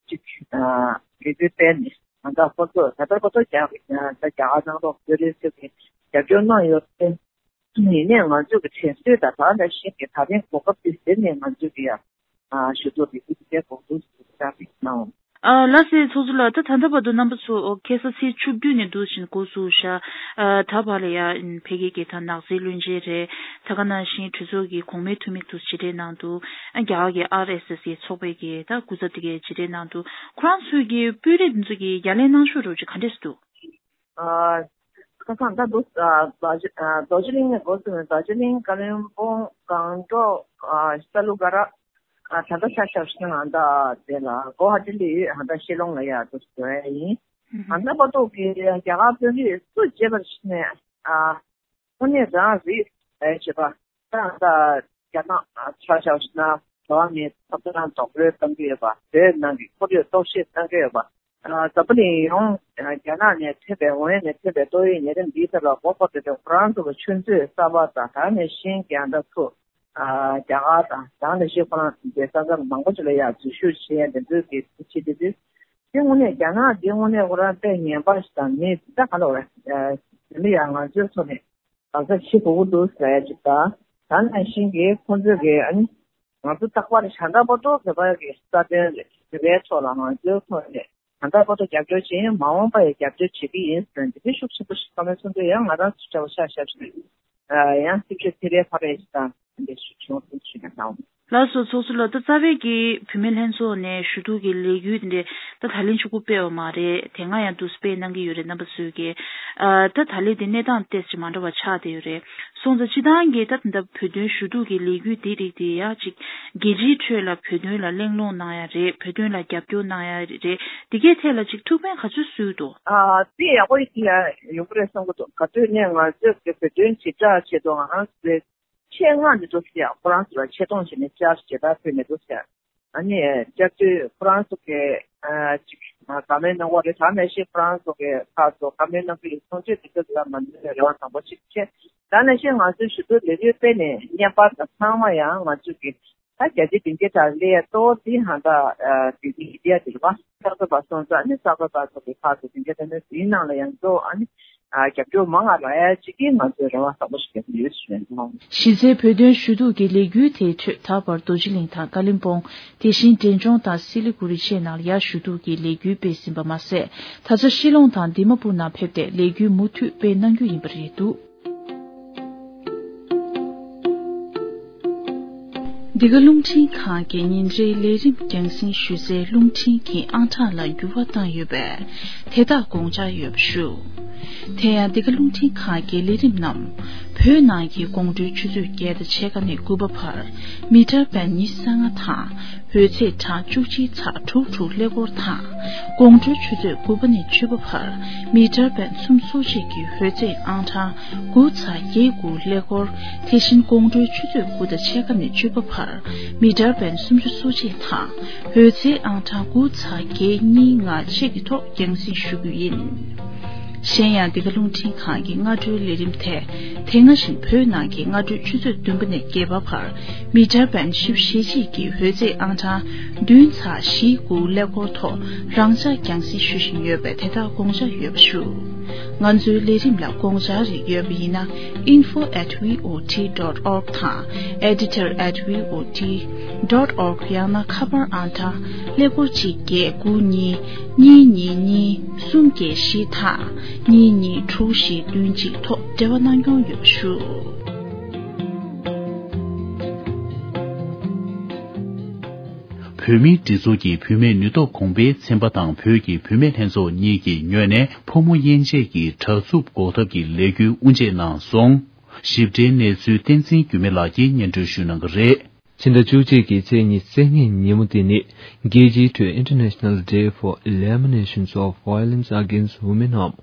ཅིག་ཨ་ལས་འགུལ་སྤེལ་ནས་ང་ཚོ་ཁོ་ཚོ་ད་ལྟ་ཁོ་ཚོ་རྒྱ་རྒྱ་གར་ནང་ལོགས་བོད་རིགས་ཚོས་ཀྱི་རྒྱབ་སྐྱོར་གནང་ཡོད་པས། ཡིན་ནའི་ང་ཚོ་གི་དྲན་གསོའི་དང་ད་ནང་བཞིན་གྱི་ད་རིང་གོ་སྐབས་འདི་ཟིན་ནས་ང་ཚོ་གི་ཡ་ཞུ་གཏུག་འདི་ཚོ་དེ་གོ་སྐབས་ཟིན་ཙང་རིག་གནང་། ཨ་ལགས་སེ་ཚོགས་གཙོ་ལགས། ད་ད་ལྟ་བར་དུ་རྣམ་པ་ཚོ་ཁ་སང་ཚེས་བཅུ་བདུན་ནས་འདུག་བཞིན་འགོ་བཙུགས་ཤག་ཨ་ད་བར་ལ་ཡ་ཕ་གི་གི་ད་ནགས་ཚལ་བློན་ཆེན་རེད། ད་ག་ནང་བཞིན་གྲོས་ཚོགས་ཀྱི་གོང་མའི་འཐུས་མི་དུ་མཇལ་འཕྲད་གནང་འདུག་ཨ་རྒྱ་གར་གྱི་ཨར་ཨེས་ཨེས་ཀྱི་ཚོགས་པའི་གི་ད་སྐུ་ཚབ་དེ་གས་མཇལ་འཕྲད་གནང་འདུག་ཁོ་རང་ཚོའི་གི་དཔོན་རིགས་འདི་ཚོ་གི་ཡ་ལན་གནང་ཕྱོགས་རོགས་ཅིག་ག་འདྲས་སུ་འདུག་ཨ་ཁ་སང་ད་འདུག་ཨ་རྡོ་རྗེ་ཨ་རྡོ་རྗེ་གླིང་ནས་འགོ་བཙུགས་ནས་རྡོ་རྗེ་གླིང་ཀ་ལོན་སྦུག་སྒང་ཏོག་ཨ་ས་ལུ་ག་ར་ཨ་ད་ལྟ་ཆ་བཞག་ན་ད་དེ་ལ་གོ་ཧ་ཏི་ལི་ཨ་ད་ཤེ་ལོང་ལ་ཡ་འདུག་ཟེར་བ་ཡིན། ཨ་ད་པ་ཏོག་གི་རྒྱ་གར་དཔོན་རིགས་སུ་བརྗེ་བར་ཕྱིན་ནས་ཨ་དངོས་གནས་རང་རིགས་ཨེ་བྱེད་པ་ད་ད་རྒྱ་ནག་ཆ་བཞག་ན་འགྲོ་བ་མིའི་ཐོབ་ཐང་རྡོག་རོལ་གཏོང་གི་ཡོད་པ། བོད་ནང་གི་ཁོར་ཡུག་གཏོར་བཤིག་གཏོང་གི་ཡོད་པ། ཨ་འཛམ་བུ་གླིང་ཡོངས་རྒྱ་ནག་ནས་ཐོན་པའི་ཝུ་ཧན་ནས་ཐོན་པའི་ཏོག་དབྱིབས་ནད་རིམས་འདིའི་ཐད་ལ་མགོ་འཁོར་ཏེ་ཁོ་རང་ཚོ་གི་ཆུ་མཛོད་གསར་པ་དང་། ད་ནས་ཤིང་རྒྱང་ལྟ་ཚུགས་ཨ་རྒྱ་གར་དང་། ད་ནས་ཤིང་ཁོ་རང་ཚོའི་ས་མཚམས་མང་པོ་ཅིག་ལ་ཡང་འཛུལ་ཞུགས་བྱས་ཡ་འདི་ཚོའི་གི་ཆེད་དུ་དེ་དངོས་གནས་རྒྱ་ནག་འདི་དངོས་གནས་ཁོ་རང་དཔེ་ངན་པ་ཞིག་དང་མི་ད་ག་ལ་བ་རེད། དེ་ལ་ཡང་ང་ཚོའི་ཐོག་ནས་དགག་བྱ་བྱེད་དགོས་ཀྱི་འདུག་ཟེར་ཡ་ཅིག་དང་། ད་ནང་བཞིན་གྱི་ཁོང་ཚོས་ཀྱི་ཨ་ནི་ང་ཚོ་རྟག་པར་བྱ་འདྲ་པོ་ཏོག་བོད་པ་གི་རྩ་དོན་རེད། བོད་པའི་ཐོག་ལ་ང་ཚོའི་ཐོག་ནས་ ད་ལྟ་བར་དུ་རྒྱབ་སྐྱོར་བྱས་ཡང་མ་འོངས་པ་ཡང་རྒྱབ་སྐྱོར་བྱེད་ཀྱི་ཡིན་ཟེར་འདི་འདྲའི་ཤུགས་ཆེན་པོ་ཞིག་བསམ་བློ་གཏོང་དུས་ཡང་ང་རང་ཚོ་འདྲ་བོ་ཤག་ཤག་ཞིག་ཡང་སེམས་ཤུགས་ཚེ་རིང་ཕ་རེ་ཞིག་དང་འདི་ཞུ་བྱུང་ཚུལ་ཞུ་ན་དང་། ལགས་སོ། ཚོགས་གཙོ་ལགས། ད་རྩ་བའི་གི་བུད་མེད་ལྷན་ཚོགས་ནས་ཞུ་གཏུག་གི་ལས་འགུལ་འདི་འདྲ་ད་ད་ལན་གཅིག་པུ་སྤེལ་བ་མ་རེད། དེ་སྔ་ཡང་འདུག་སྤེལ་གནང་གི་ཡོད་རེད། རྣམ་པ་ཚོས་ཀྱི་ཨ་ད་ད་ལན་དེ་གནས་སྟངས་ཏོག་ཙམ་མ་འདྲ་བ་ཆགས་བསྡད་ཡོད་རེད། སོང་ཙང་སྤྱིར་བཏང་གི་ད་ད་བོད་དོན་ཞུ་གཏུག་གི་ལས་འགུལ་འདི་རིགས་དེ་ཡང་ཅིག་རྒྱལ་སྤྱིའི་ཁྲོད་ལ་བོད་དོན་ལ་གླེང་སློང་གནང་ཡ་རེད། བོད་དོན་ལ་རྒྱབ་སྐྱོར་གནང་ཡ་རེད། དེ་གའི་ཐད་ལ་ཅིག་ཐུགས་ཕན་ག་ཚོད་གསོས་འདུག་ཨ་དེ་ཡག་པོ་ཞིག་ཡོང་གི་རེད་བསམ་གྱི་འདུག་ག་དུས་ནས་ང་ཚོས་ཀྱི་བོད་དོན་ཞིབ་ཕྲ་ཆེད་དུ་ང་རང་ཚོའི་ཆེད་མངགས་ནས་འདུག་ཟེར་ཡ། ཁོ་རང་ཚོ་ལ་ཆེད་གཏོང་བྱས་ནས་བཅར་ཞེ་དྲག་ཕུལ་ནས་འདུག་ཟེར། ཨ་ནི་བཅར་དུས་ཁོ་རང་ཚོ་གི་ཨ་ཅིག་བཀའ་མོལ་གནང་བ་རེད། ད་ནང་བཞིན་ཁོ་རང་ཚོ་གི་ཁག་ཚོ་བཀའ་མོལ་གནང་གི་ཡོད་སོང་ཙང་དེ་ཚོ་ལ་ང་ཚོས་རེ་བ་བཟང་པོ་ཞིག་བྱས། ད་ནང་བཞིན་ང་ཚོའི་ཞུ་གཏུག་ལས་འགུལ་སྤེལ་ནས་བརྙན་པར་དང་ཚང་མ་ཡང་ང་ཚོས་ཀྱི་ད་རྒྱལ་སྤྱིའི་སྡིངས་ཆ་དང་སླེབས་ཡ་གཙོ་བོ་དེ་ཧང་ད་དེ་མི་ཌི་ཡ་དེ་རེད་བ། གསར་འགོད་པ་སོང་ཙང་ཨ་ནི་གསར་འགོད་པ་ཚོ་གི་ཁག་ཚོ་དེ་འདྲ་དེ་འདྲ་ཡིན་ནང་ལ་ཡང་གཙོ་བོ་ཨ་ནི་རྒྱབ་སྐྱོར་མང་ང་རག་ཡ་གཅིག་གིས་ང་ཚོས་རེ་བ་བཟང་པོ་ཞིག་བརྒྱབ་ཡོད་ཞུ་ཡ་ཡིན། གཞི་རྩའི་བོད་དོན་ཞུ་གཏུག་གི་ལས་འགུལ་དེའི་ཁྲོད་ད་བར་རྡོ་རྗེ་གླིང་དང་ཀ་ལིམ་པོང་། དེ་བཞིན་འབྲས་ལྗོངས་དང་སི་ལི་གུ་རི་བཅས་ནང་ལ་ཡ་ཞུ་གཏུག་གི་ལས་འགུལ་སྤེལ་ཟིན་པ་མ་ཟད། ད་ཆ་ཤི་ལོང་དང་དི་མ་པུར་ནང་ཕེབས་ཏེ་ལས་འགུལ་མུ་མཐུད་སྤེལ་གནང་རྒྱུ་ཡིན་པ་རེད་འདུག་འདི་ག་རླུང་འཕྲིན་ཁང་གི་ཉིན་རེའི་ལས་རིམ་རྒྱང་སྲིང་ཞུ་སའི་རླུང་འཕྲིན་གྱི་ཨང་གྲངས་ལ་འགྱུར་བ་བཏང་ཡོད་པས་དེ་དག་དགོངས་འཇགས་ཡོད་པ་ཞུ། དེ་ཡང་འདི་ག་རླུང་འཕྲིན་ཁང་གི་ལས་རིམ་རྣམས་བོད་ནང་གི་དགོང་དྲོའི་ཆུ་ཚོད་བརྒྱད་དང་ཕྱེད་ཀ་ནས་དགུ་པ་བར་མི་ཊར་བེན་ཉི་ཤུ་རྩ་ལྔ་དང་། འོད་ཚད་གྲངས་བཅུ་གཅིག་ཚེག་དྲུག་དྲུག་ཀླད་ཀོར་དང་། དགོང་དྲོའི་ཆུ་ཚོད་དགུ་པ་ནས་བཅུ་པ་བར་མི་ཊར་བེན་སུམ་ཅུ་སོ་གཅིག་གི་འོད་ཚད་ཨང་གྲངས་དགུ་ཚེག་བརྒྱད་དགུ་ཀླད་ཀོར། དེ་བཞིན་དགོང་དྲོའི་ཆུ་ཚོད་དགུ་དང་ཕྱེད་ཀ་ནས་བཅུ་པ་བར་མི་ཊར་བེན་སུམ་ཅུ་སོ་གཅིག་དང་འོད་ཚད་ཨང་གྲངས་དགུ་ཚེག་བརྒྱད་གཉིས་ལྔ་བཅས་ཀྱི་ཐོག་རྒྱང་སྲིང་ཞུ་རྒྱུ་ཡིན། གཞན་ཡང་འདི་ག་རླུང་འཕྲིན་ཁང་གི་སྔ་དྲོའི་ལས་རིམ་དེ་དེ་སྔ་བཞིན་བོད་ནང་གི་སྔ་དྲོའི་ཆུ་ཚོད་བདུན་པ་ནས་བརྒྱད་པ་བར་མི་ཊར་བེན་བཞི་བཅུ་ཞེ་གཅིག་གི་འོད་ཚད་ཨང་གྲངས་བདུན་ཚེག་བཞི་དགུ་ཀླད་ཀོར་ཐོག་རང་འཇགས་རྒྱང་སྲིང་ཞུ་བཞིན་ཡོད་པས་དེ་དག་དགོངས་འཇགས་ཡོད་པ་ཞུ། ང་ཚོའི་ལས་རིམ་ལ་དགོངས་འཆར་རིགས་ཡོད་པ་ཡིན་ན་info at V O T dot org དང་editor at V O T dot org ཡང་ན་ཁ་པར་ཨང་གྲངས་ཀླད་ཀོར་གཅིག་བརྒྱད་དགུ་གཉིས་གཉིས་གཉིས་གཉིས་གསུམ་བརྒྱད་བཞི་དང་གཉིས་གཉིས་དྲུག་བཞི་བདུན་གཅིག་ཐོག་འབྲེལ་བ་གནང་སྐྱོང་ཡོད་པ་ཞུ། བོད་མིའི་སྒྲིག་འཛུགས་ཀྱི་བུད་མེད་ནུས་སྟོབས་གོང་སྤེལ་ཚན་པ་དང་བོད་ཀྱི་བུད་མེད་ལྷན་ཚོགས་གཉིས་ཀྱི་ངོས་ནས་ཕོ་མོ་དབྱེ་འབྱེད་ཀྱི་དྲག་རྩུབ་འགོག་ཐབས་ཀྱི་ལས་འགུལ་དབུ་འབྱེད་གནང་སོང་། ཞིབ་ཕྲའི་གནས་ཚུལ་བསྟན་འཛིན་འགྱུར་མེད་ལགས་ཀྱིས་སྙན་སྒྲོན་ཞུ་གནང་གི་རེད། ཕྱི་ཟླ་བཅུ་གཅིག་གི་ཚེས་ཉི་ཤུ་རྩ་ལྔའི་ཉིན་མོ་འདི་ནི་རྒྱལ་སྤྱིའི་ཁྲོད་International Day for Eliminations of Violence Against Women འམ་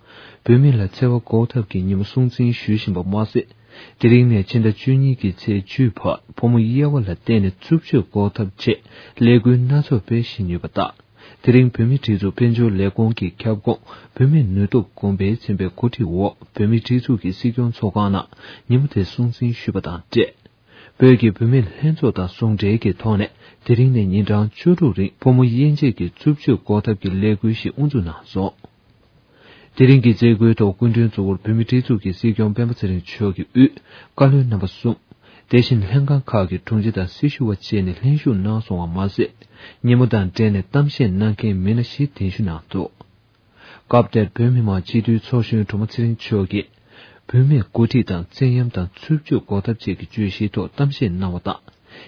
བུད་མེད་ལ་འཚེ་བ་འགོག་ཐབས་ཀྱི་ཉིན་མོ་སྲུང་བརྩི་ཞུ་བཞིན་པ་མ་ཟད། དེ་རིང་ནས་ཕྱི་ཟླ་བཅུ་གཉིས་ཀྱི་ཚེས་བཅུའི་བར་ཕོ་མོ་དབྱེ་བ་ལ་བརྟེན་ནས་རྩུབ་སྤྱོད་འགོག་ཐབས་ཆེད་ལས་འགུལ་སྣ་ཚོགས་སྤེལ་བཞིན་ཡོད་པ་དང་། དེ་རིང་བོད་མིའི་སྒྲིག་འཛུགས་དཔལ་འབྱོར་ལས་ཁུངས་ཀྱི་ཁྱབ་ཁོངས་བུད་མེད་ནུས་སྟོབས་གོང་འཕེལ་ཚན་པའི་འགོ་ཁྲིད་འོག་བོད་མིའི་སྒྲིག་འཛུགས་ཀྱི་སྲིད་སྐྱོང་ཚོགས་ཁང་ནང་ཉིན་མོ་དེ་སྲུང་བརྩི་ཞུས་པ་དང་འབྲེལ། བོད་ཀྱི་བུད་མེད་ལྷན་ཚོགས་དང་ཟུང་འབྲེལ་གྱི་ཐོག་ནས་དེ་རིང་ནས་ཉིན་གྲངས་བཅུ་དྲུག་རིང་ཕོ་མོ་དབྱེ་འབྱེད་ཀྱི་རྩུབ་སྤྱོད་འགོག་ཐབས་ཀྱི་ལས་འགུལ་ཞིག་དབུ་འཛུགས་གནང་སོང་། དེ་རིང་གི་མཛད་སྒོའི་ཐོག་སྐུ་མགྲོན་གཙོ་བོར་བོད་མིའི་སྒྲིག་འཛུགས་ཀྱི་སྲིད་སྐྱོང་སྤེན་པ་ཚེ་རིང་མཆོག་གིས་དབུས་བཀའ་བློན་རྣམ་པ་གསུམ། དེ་བཞིན་ལྷན་ཁང་ཁག་གི་དྲུང་ཆེ་དང་སྲི་ཞུ་བ་བཅས་ནས་ལྷན་ཞུགས་གནང་སོང་བ་མ་ཟད། ཉིན་མོ་དང་འབྲེལ་ནས་གཏམ་བཤད་གནང་མཁན་མི་སྣ་བཞི་གདན་ཞུ་གནང་འདུག་སྐབས་དེར་བོད་མི་མང་སྤྱི་འཐུས་ཚོགས་གཞོན་སྒྲོལ་མ་ཚེ་རིང་མཆོག་གིས། བུད་མེད་འགོ་ཁྲིད་དང་བཙན་གཡེམ་དང་རྩུབ་སྤྱོད་འགོག་ཐབས་བཅས་ཀྱི་བརྗོད་གཞིའི་ཐོག་གཏམ་བཤད་གནང་བ་དང་།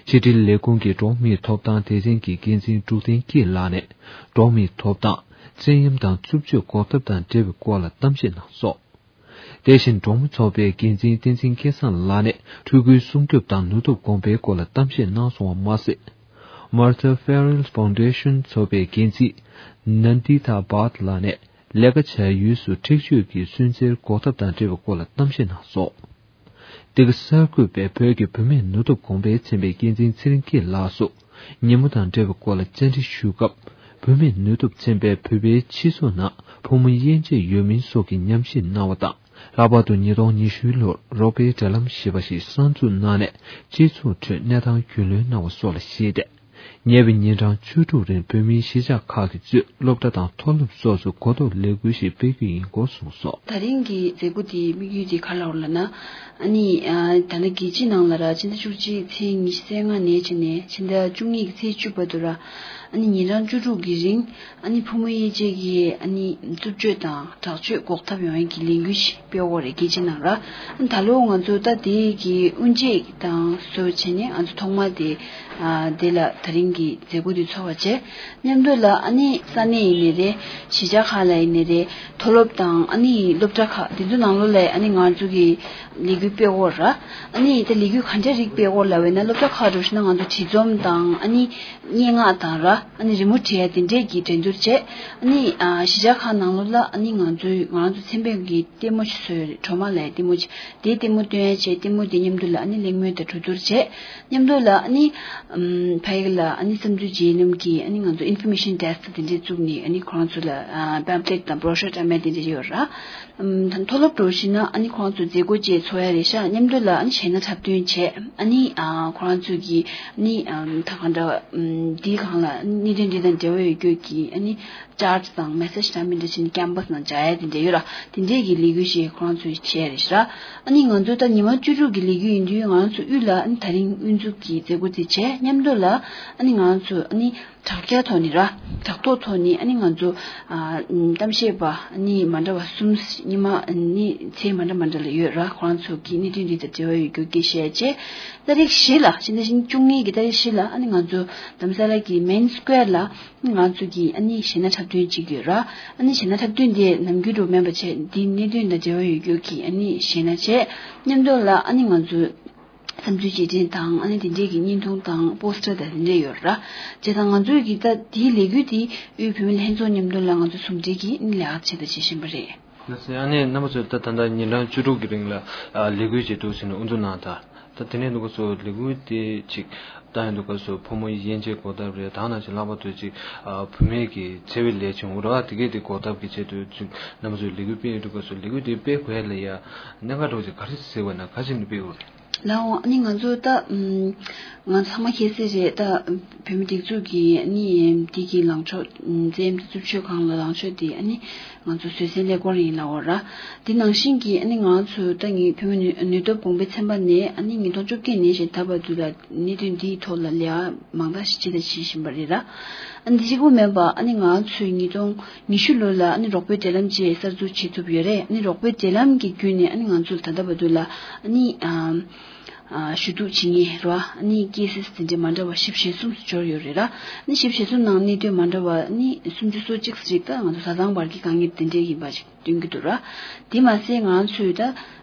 ཕྱི་དྲིལ་ལས་ཁུངས་ཀྱི་འགྲོ་བ་མིའི་ཐོབ་ཐང་སྡེ་ཚན་གྱི་འགན་འཛིན་འབྲུག་བསྟན་སྐྱིད་ལགས་ནས། འགྲོ་བ་མིའི་ཐོབ་ཐང་། བཙན་གཡེམ་དང་རྩུབ་སྤྱོད་འགོག་ཐབས་དང་འབྲེལ་བའི་སྐོར་ལ་གཏམ་བཤད་གནང་སོང་། དེ་བཞིན་འབྲོག་མི་ཚོགས་པའི་འགན་འཛིན་བསྟན་འཛིན་སྐལ་བཟང་ལགས་ནས་ཕྲུ་གུའི་སྲུང་སྐྱོབ་དང་ནུས་སྟོབས་གོང་འཕེལ་སྐོར་ལ་གཏམ་བཤད་གནང་སོང་བ་མ་ཟད། Martha Farrell Foundation ཚོགས་པའི་འགན་འཛིན་Nandita Bhatt ལགས་ནས་ལས་ཀ་བྱ་ཡུལ་སུ་འཁྲིག་སྤྱོད་ཀྱི་སུན་གཙེར་འགོག་ཐབས་དང་འབྲེལ་བའི་སྐོར་ལ་གཏམ་བཤད་གནང་སོང་། འདི་ག་གསར་འགོད་པས་བོད་ཀྱི་བུད་མེད་ནུས་སྟོབས་གོང་འཕེལ་ཚན་པའི་འགན་འཛིན་ཚེ་རིང་སྐྱིད་ལགས་སུ་ཉིན་མོ་དང་འབྲེལ་བའི་སྐོར་ལ་བཅར་འདྲི་ཞུས་སྐབས། བུད་མེད་ནུས་སྟོབས་ཚན་པས་བོད་པའི་སྤྱི་ཚོགས་ནང་ཕོ་མོ་དབྱེ་འབྱེད་ཡོད་མིན་སོགས་ཀྱི་ཉམས་ཞིབ་གནང་བ་དང་། ལྷག་པར་དུ་ཉིས་སྟོང་ཉི་ཤུའི་ལོར་རོགས་པའི་འབྲེལ་ལམ་ཞེས་པ་ཞིག་གསར་འཛུགས་གནང་ནས་སྤྱི་ཚོགས་ཁྲོད་གནས་སྟངས་རྒྱུས་ལོན་གནང་བ་སོགས་ལ་གཞིགས་ཏེ། ཉེ་བའི་ཉིན་གྲངས་བཅུ་དྲུག་རིང་བོད་མིའི་གཞིས་ཆགས་ཁག་གིས་གཙོས་སློབ་གྲྭ་དང་མཐོ་སློབ་སོགས་སུ་གོ་རྟོགས་ལས་འགུལ་ཞིག་སྤེལ་རྒྱུ་ཡིན་སྐོར་གསུངས་སོང་། ད་རིང་གི་མཛད་སྒོ་དེའི་དམིགས་ཡུལ་དེ་ག་རེ་ལབ་ན། ཨ་ནི་ཨ་ད་ལྟ་རྒྱལ་སྤྱིའི་ནང་ལ་ར་ཕྱི་ཟླ་བཅུ་གཅིག་ཚེས་ཉི་ཤུ་རྩ་ལྔ་ནས་བྱས་ནས་ཕྱི་ཟླ་བཅུ་གཉིས་ཀྱི་ཚེས་བཅུ་བར་དུ་ར། ཨ་ནི་ཉིན་གྲངས་བཅུ་དྲུག་གི་རིང་ཨ་ནི་ཕོ་མོ་དབྱེ་འབྱེད་ཀྱི་ཨ་ནི་རྩུབ་སྤྱོད་དང་དྲག་སྤྱོད་འགོག་ཐབས་ཡོང་ཡས་ཀྱི་ལས་འགུལ་ཞིག་སྤེལ་འོག་རེད་རྒྱལ་སྤྱི་ནང་ར། ཨ་ནི་ད་ལོ་ང་ཚོ་ད་དེ་གི་དབུ་འབྱེད་དང་བཟོ་བྱས་ནས་ང་ཚོ་ཐོག་མ་དེ་ཨ་དེ་ལ་ད་རིང་གི་མཛད་སྒོ་དེ་ཚོགས་པ་བྱས། མཉམ་དུ་ལ་ཨ་ནི་ས་གནས་ཡིན་ནི་རེད། གཞིས་ཆགས་ཁག་ལ་ཡིན་ནི་རེད། མཐོ་སློབ་དང་ཨ་ནི་སློབ་གྲྭ་ཁག་དེ་ཚོ་ནང་ལོགས་ལ་ཨ་ནི་ང་ཚོ་གི་ལས་འགུལ་སྤེལ་འོག་ར། ཨ་ནི་ད་ལས་འགུལ་ག་འདྲ་རིགས་སྤེལ་འོག་ལ་བས་ན་སློབ་གྲྭ་ཁག་འགྲོ་ཤེས་ན་ང་ཚོ་བྲིས་རྩོམ་དང་ཨ་ནི་སྙན་ངག་དང་ར། ཨ་ནི་རི་མོ་བྲིས་ཡ་དེ་འདྲས་ཀྱི་འགྲན་བསྡུར་བྱས། ཨ་ནི་ཨ་གཞིས་ཆགས་ཁག་ནང་ལོགས་ལ་ཨ་ནི་ང་ཚོའི་ང་རང་ཚོ་མཚན་དཔེ་གི་ལྟད་མོ་ཞིག་བཟོས་ཡོད་རེད། གྲོ་མ་ལ་ཡ་ལྟད་མོ་ཅིག་དེའི་ལྟད་མོ་སྟོན་ཡ་བྱས། ལྟད་མོ་དེ་མཉམ་དུ་ལ་ཨ་ནི་གླེང་མོལ་དང་གྲོས་བསྡུར་བྱས། མཉམ་དུ་ལ་ཨ་ནི་ཨམ་ཕ་ཡིག་ལ་ཨ་ནི་བསམ་ཚུལ་བརྗེ་ལམ་གྱི་ཨ་ནི་ང་ཚོ་ཨིན་ཕོར་མེ་ཤན་ཌེ་སི་ཀི་དེ་འདྲས་བཙུགས་ནས་ཨ་ནི་ཁོ་རང་ཚོ་ལ་ཨ་པེམ་ཕི་ལེཊ་དང་བྷོ་རོ་ཤར་འདྲ་མིན་དེ་འདྲས་ཡོད་ར། ཨམ་ད་མཐོ་སློབ་འགྲོ་ཤེས་ན་ཨ་ནི་ཁོ་རང་ཚོ་མཛད་སྒོ་བཅས་ཚོགས་ཡ་རེད་ཤག་མཉམ་དུ་ལ་ཨ་ནི་གཞས་སྣ་འཁྲབ་སྟོན་བྱས། ཨ་ནི་ཨ་ཁོ་རང་ཚོ་གི་ཨ་ནི་ཨམ་ད་གང་འདྲ་ཨམ་འདིའི་སྒང་ལ་གནད་དོན་འདི་དང་འབྲེལ་བ་ཡོད་རྒྱུ་གི་ཨ་ནི་ཅར་ཊི་དང་མེ་སེ་ཇི་འདྲ་མིན་འདྲ་བྱས་ནས་ཀེམ་པ་སི་ནང་སྦྱར་ཡ་དེ་འདྲ་ཡོད་ར། དེ་འདྲས་ཀྱི་ལས་འགུལ་ཞིག་ཁོ་རང་ཚོས་བྱས་རེད་ཤག་ཨ་ནི་ང་ཚོ་ད་ཉི་མ་བཅུ་དྲུག་གི་ལས་འགུལ་ཡིན་དུས་ང་རང་ཚོ་དབུས་ལ་ཨ་ནི་ད་རིང་དབུ་འཛུགས་ཀྱི་མཛད་སྒོ་དེ་བྱས། མཉམ་དུ་ལ་ཨ་ནི་ང་རང་ཚོ་ཨ་ནི་དྲ་རྒྱ་ཐོག་ནས་ར། དྲ་ཐོག་ཐོག་ནས་ཨ་ནི་ང་ཚོ་ཨ་གཏམ་བཤད་པ་ཨ་ནི་མ་འདྲ་བ་གསུམ། ཉི་མ་ཨ་ནི་ཚེས་མ་འདྲ་མ་འདྲ་ལ་ཡོད་ར། ཁོ་རང་ཚོ་གི་གནད་དོན་འདི་དང་འབྲེལ་བ་ཡོད་རྒྱུ་སྐད་བཤད་བྱས། ཏ་རིག་བཞི་ལ་ཕྱི་ཟླ་བཅུ་གཉིས་ཀྱི་ཏ་རིག་བཞི་ལ་ཨ་ནི་ང་ཚོ་དྷ་རམ་ས་ལ་གི་མེན་སི་ཀོ་ཡར་ལ་ང་ཚོ་གི་ཨ་ནི་གཞས་སྣ་འཁྲབ་སྟོན་བྱེད་ཀྱི་ཡོད་ར། ཨ་ནི་གཞས་སྣ་འཁྲབ་སྟོན་དེ་ནམ་རྒྱུན་དུ་མིན་པ་བྱས། འདི་གནད་དོན་དང་འབྲེལ་བ་ཡོད་རྒྱུ་གི་ཨ་ནི་གཞས་སྣ་བྱས། མཉམ་དུ་ལ་ཨ་ནི་ང་ཚོ་བསམ་ཚུལ་བརྗེ་ལེན་དང་ཨ་ནི་དེ་འདྲས་ཀྱི་བརྙན་ཐུང་དང་པོ་སི་ཊར་དང་དེ་འདྲས་ཡོད་ར། བྱས་ཙང་ང་ཚོས་ཀྱི་ད་དེའི་ལས་འགུལ་དེ་དབུས་བོད་མི་ལྷན་ཚོགས་མཉམ་དུ་ལ་ང་ཚོ་ཟུང་འབྲེལ་གྱིས་ཨ་ནི་ལས་ཀ་བྱེད་དང་བྱེད་བཞིན་པ་རེད། ལགས་སོ། ཨ་ནི་རྣམ་པ་ཚོས་ད་ད་ལྟ་ཉིན་གྲངས་བཅུ་དྲུག་གི་རིང་ལ་ཨ་ལས་འགུལ་བྱེད་འདུག་ཟེར་ནས་དབུ་འཛུགས་གནང་དང་། ད་དེ་ནས་འདུག་ག་སོ་ལས་འགུལ་དེ་ཅིག་བཏང་ཡོང་འདུག་ག་སོ་ཕོ་མོ་དབྱེ་འབྱེད་འགོག་ཐབས་རེད། ད་ནང་བཞིན་ལྷག་པར་དུ་ཅིག་ཨ་བུད་མེད་ཀྱི་འཚེ་བའི་ལས་བྱུང་ར་བ་དེ་གས་དེ་འགོག་ཐབས་ཀྱི་ཆེད་དུ་ཅིག་རྣམ་པ་ཚོས་ལས་འགུལ་སྤེལ་ཡོང་འདུག་ག་སོ་ལས་འགུལ་དེ་སྤེལ་དགོས་ཡ་ལ་ཡ་གནད་འགག་འདྲ་བོ་ཅིག་ག་རེ་གཟིགས་པ་ན་ག་ཅིག་ནས་སྤེལ་དགོས་རེད། ལགས་འོང་། ཨ་ནི་ང་ཚོ་ད་ཨམ་ང་ཚང་མ་མཁྱེན་གསལ་རེད། ད་བོད་མི་སྒྲིག་འཛུགས་ཀྱི་ཨ་ནི་འདི་གི་ལངས་ཕྱོགས་ཨམ་འཛིན་རྩོད་ཕྱོགས་སྒང་ལ་ལངས་ཕྱོགས་དེ་ཨ་ནི་ང་ཚོ་བཟོད་བསྲན་ཀླད་ཀོར་ཡིན་ལབ་འོ་ར། འདི་ནང་བཞིན་གྱི་ཨ་ནི་ང་ཚོ་ད་ངའི་བོད་མི་ནུས་ནུས་སྟོབས་གོང་འཕེལ་ཚན་པ་ནས་ཨ་ནི་ཉིས་སྟོང་བཅོ་བརྒྱད་ནས་བཞིན་ད་བར་དུ་ལ་གནད་དོན་འདིའི་ཐོག་ལ་ལས་ཀ་མང་དག་ཞིག་བྱས་དང་བྱེད་བཞིན་པ་རེད་ར། ཨ་ནི་འདི་གཅིག་པུ་མིན་པ་ཨ་ནི་ང་ཚོས་ཉིས་སྟོང་ཉི་ཤུ་ལོ་ལ་ཨ་ནི་རོགས་པའི་འབྲེལ་ལམ་བཅས་གསར་འཛུགས་བྱེད་ཐུབ་ཡོད་རེད། ཨ་ནི་རོགས་པའི་འབྲེལ་ལམ་གྱི་བརྒྱུད་ནས་ཨ་ནི་ང་ཚོ་ལ་ད་ལྟ་བར་དུ་ལ་ཨ་ནི་ཨམ། ཨ་ཞུ་གཏུག་བྱེད་མཁན་རེད་བ། ཨ་ནི་ཀེ་སི་དེ་འདྲའི་མ་འདྲ་བ་བཞི་བཅུ་ཞེ་གསུམ་སུ་འབྱོར་ཡོད་རེད་ར། ཨ་ནི་བཞི་བཅུ་ཞེ་གསུམ་ནང་གནད་དོན་མ་འདྲ་བ་ཨ་ནི་སུམ་ཅུ་སོ་གཅིག་ཙམ་ཞིག་ད་ང་ཚོ་བཟའ་ཚང་བར་གྱི་དཀའ་ངལ་དེ་འདྲའི་ཡིན་པ་ཞིག་སྟོན་གྱི་འདུག་ར། དེ་མ་ཟད་ང་ཚོས་ད་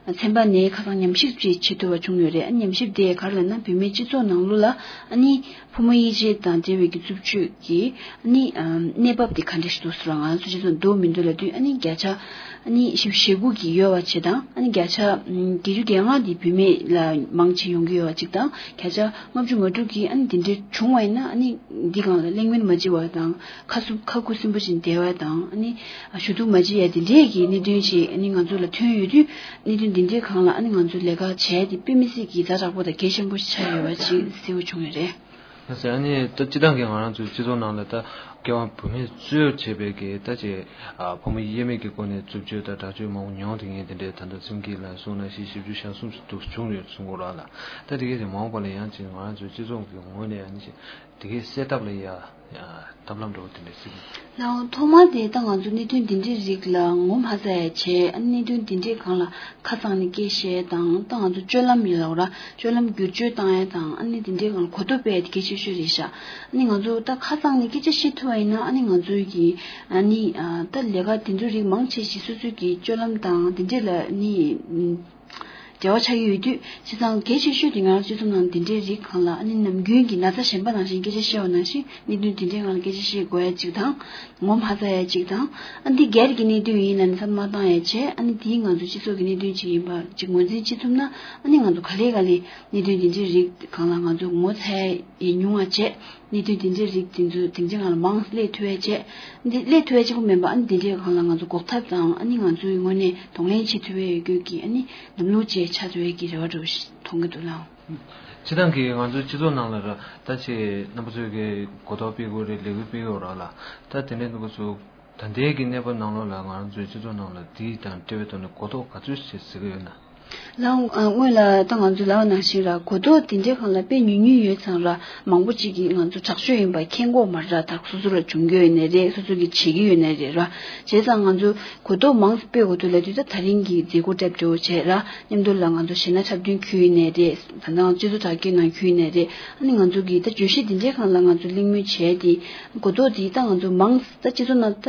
ཚན་པ་ནས་ཁ་སང་ཉམས་ཞིབ་ཅིག་བྱེད་ཐུབ་པ་བྱུང་ཡོད་རེད། ཨ་ནི་ཉམས་ཞིབ་དེ་ག་རེ་ལབ་ན་བོད་མིའི་སྤྱི་ཚོགས་ནང་ལོགས་ལ་ཨ་ནི་ཕོ་མོ་དབྱེ་འབྱེད་དང་འབྲེལ་བའི་གི་རྩུབ་སྤྱོད་ཀྱི་ཨ་ནི་ཨམ་གནས་བབ་དེ་ག་འདྲ་ཞིག་འདུག་ཟེར་བ་ང་ཚོ་སྤྱི་ཚོགས་འདུག་མི་འདུག་ལབ་དུས་ཨ་ནི་བརྒྱ་ཆ་ཨ་ནི་བཞི་བཅུ་ཞེ་དགུ་གི་ཡོད་པ་བྱས་དང་། ཨ་ནི་བརྒྱ་ཆ་ཨམ་བརྒྱད་ཅུ་གྱ་ལྔ་དེ་བུད་མེད་ལ་མང་ཆེ་ཡོང་གི་ཡོད་པ་གཅིག་དང་། བརྒྱ་ཆ་ལྔ་བཅུ་ང་དྲུག་གིས་ཨ་ནི་དེ་འདྲའི་བྱུང་བ་ཡིན་ན་ཨ་ནི་འདི་སྒང་ལ་གླེང་མོལ་མ་བྱེད་པ་དང་། ཁ་སུ་ཁ་ཁུ་སིམ་པོ་བྱས་བསྡད་པ་དང་། ཨ་ནི་ཞུ་གཏུག་མ་བྱེད་ཡ་དེ་འདྲའི་གི་གནད་དོན་ཞིག་ཨ་ནི་ང་ཚོ་ལ་ཐོན་ཡོད་དུས། གནད་དོན་འདི་འདྲའི་སྒང་ལ་ཨ་ནི་ང་ཚོ་ལས་ཀ་བྱས་ཏེ་དཔེ་མི་སྲིད་ཀྱི་ཛ་དྲག་པོ་དང་གལ་ཆེན་པོ་ཞིག་ཆགས་ཡོད་པ་ཅིག་གསལ་པོ་བྱུང་ཡོད་རེད། ལགས་སོ། ཨ་ནི་ད་སྤྱི་བཏང་གི་ང་རང་ཚོའི་སྤྱི་ཚོགས་ནང་ལ་ད་སྐྱེ་བ་བུད་མེད་གཙོས་བྱས་པའི་གི་ད་ཅིག་ཨ་ཕོ་མོ་དབྱེ་མེད་ཀྱི་སྒོ་ནས་རྩུབ་སྤྱོད་དང་དྲག་སྤྱོད་མང་པོ་མྱོང་བསྡད་མཁན་དེ་འདྲའི་ད་ལྟ་སེམས་སྐྱིད་ལ་སོང་ན་བཞི་བཅུ་ཞེ་གསུམ་ཙམ་འདུག་བྱུང་ཡོད་གསུང་གི་རེད་ལ། ད་དེ་གས་དེ་མ་འོངས་པ་ལ་ཡང་ཅིག་ང་རང་ཚོའི་སྤྱི་ཚོགས་ཀྱི་ངོས་ནས་ཨ་ནི་ཅིག་དེ་གས་སེལ་ཐབས་ལ་ཡ་ཐབས་ལམ་འདྲ་བོ་དེ་འདྲ་ཞིག་ལའང་ཐོག་མ་དེ་ད་ང་ཚོ་གནད་དོན་འདི་འདྲའི་རིགས་ལ་ངོ་མ་ཚ་ཡ་བྱས། ཨ་ནི་གནད་དོན་འདི་འདྲའི་སྒང་ལ་ཁ་གཙང་ནས་སྐད་བཤད་དང་། ད་ང་ཚོ་སྤྱོད་ལམ་ཡིན་ལབ་ར། སྤྱོད་ལམ་བསྒྱུར་བཅོས་བཏང་ཡ་དང་། ཨ་ནི་འདི་འདྲའི་སྒང་ལ་གོ་རྟོགས་སྤེལ་ཡ་དེ་གལ་ཆེ་ཤོས་རེད་ཤག་ཨ་ནི་ང་ཚོ་ད་ཁ་གཙང་ནས་སྐད་ཆ་བཤད་ཐུབ་པ་ཡིན་ན་ཨ་ནི་ང་ཚོའི་གི་ཨ་ནི་ཨ་ད་ལས་ཀ་དེ་ཚོའི་རིགས་མང་ཆེ་ཞིག་སོ་སོའི་གི་སྤྱོད་ལམ་དང་དེ་འདྲས་ལ་ཨ་ནི། འབྲེལ་བ་ཆགས་ཀྱི་ཡོད་དུས། བྱས་ཙང་གལ་ཆེ་ཤོས་དེ་ང་རང་སྤྱི་ཚོགས་ནང་འདི་འདྲའི་རིགས་སྒང་ལ་ཨ་ནི་ནམ་རྒྱུན་གྱི་ན་ཚ་གཞན་པ་ནང་བཞིན་སྐད་ཆ་བཤད་པ་ནང་བཞིན་གནད་དོན་འདི་འདྲའི་སྒང་ལ་སྐད་ཆ་བཤད་དགོས་ཡ་གཅིག་དང་། ངོ་མ་ཚ་ཡ་གཅིག་དང་། ཨ་འདི་སྒེར་གྱི་གནད་དོན་ཡིན་ལབ་ནས་བསམ་བློ་མ་བཏང་ཡ་བྱས། ཨ་ནི་དེའི་ང་ཚོ་སྤྱི་ཚོགས་ཀྱི་གནད་དོན་ཅིག་ཡིན་པ་ཅིག་ངོས་འཛིན་བྱེད་ཐུབ་ན། ཨ་ནི་ང་ཚོ་ག་ལེ་ག་ལེ་གནད་དོན་འདི་འདྲའི་རིགས་སྒང་ལ་ང་ཚོ་ངོ་ཚ་ཡ་ཉུང་བ་བྱས། གནད་དོན་དེ་འདྲའི་རིགས་དེ་ཚོ་དེང་སང་ང་ལ་མང་སླེབས་ཐུབ་པའི་ཆེད། འདི་སླེབས་ཐུབ་པའི་གཅིག་པུ་མིན་པ། ཨ་ནི་དེ་འདྲའི་སྒང་ལ་ང་ཚོ་འགོག་ཐབས་དང་། ཨ་ནི་ང་ཚོའི་ངོས་ནས་གདོང་ལེན་བྱེད་ཐུབ་པའི་ཡོད་རྒྱུ་གི་ཨ་ནི་ལམ་ལུགས་བཅས་ཆགས་ཐུབ་པའི་གི་རེ་བ་འདྲ་བོ་ཞིག་མཐོང་གི་འདུག་ལགས། སྤྱིར་བཏང་གི་ང་ཚོའི་སྤྱི་ཚོགས་ནང་ལ་ར། ད་ཆེ་རྣམ་པ་ཚོས་གི་གོ་རྟོགས་སྤེལ་དགོས་རེད། ལས་འགུལ་སྤེལ་ཡོད་ར་ལ། ད་དེ་འདྲའི་འདུག་ག་ཚོ་ད་ལྟའི་གི་གནས་བབ་ནང་ལོགས་ལ་ང་ཚོའི་སྤྱི་ཚོགས་ནང་ལ་དེའི་དང་འབྲེལ་བའི་ཐོག་ནས་གོ་རྟོགས་ག་ཚོད་ཞིག་གཟིགས་ཀྱི་ཡོད་ན། ལགས། སྔོན་ལ་ད་ང་ཚོ་ལབ་པ་ནང་བཞིན་ར་གོ་རྟོགས་དེ་འདྲའི་སྒང་ལ་དཔེ་ཉུང་ཉུང་ཡོད་ཙང་ར་མང་པོ་ཅིག་གིས་ང་ཚོ་དྲག་སྤྱོད་ཡིན་པ་མཁྱེན་གྱི་ཡོད་མ་རེད་ར། ད་སོ་སོ་ལ་བྱུང་གི་ཡོད་ནའི་རེད། སོ་སོ་གིས་བྱེད་ཀྱི་ཡོད་ནའི་རེད་ར། བྱས་ཙང་ང་ཚོ་གོ་རྟོགས་མང་ཙམ་སྤེལ་དགོས་འདུག་ལབ་དུས་ད་ད་རིང་གི་མཛད་སྒོ་གྲ་སྒྲིག་བྱས་ར། མཉམ་དུ་ལ་ང་ཚོ་གཞས་སྣ་འཁྲབ་སྟོན་ཁུལ་ཡིན་ནའི་རེད། ད་ལྟ་ང་ཚོ་སྤྱི་ཚོགས་དྲ་རྒྱའི་ནང་ཁུལ་ཡིན་ནའི་རེད། ཨ་ནི་ང་ཚོ་གིས་ད་བརྗོད་གཞི་དེ་འདྲའི་སྒང་ལ་ང་ཚོ་གླེང་མོལ་བྱས་ཏེ་གོ་རྟོགས་དེ་ད་ང་ཚོ་མང་ཙམ་ད་སྤྱི་ཚོགས་ནང་ད་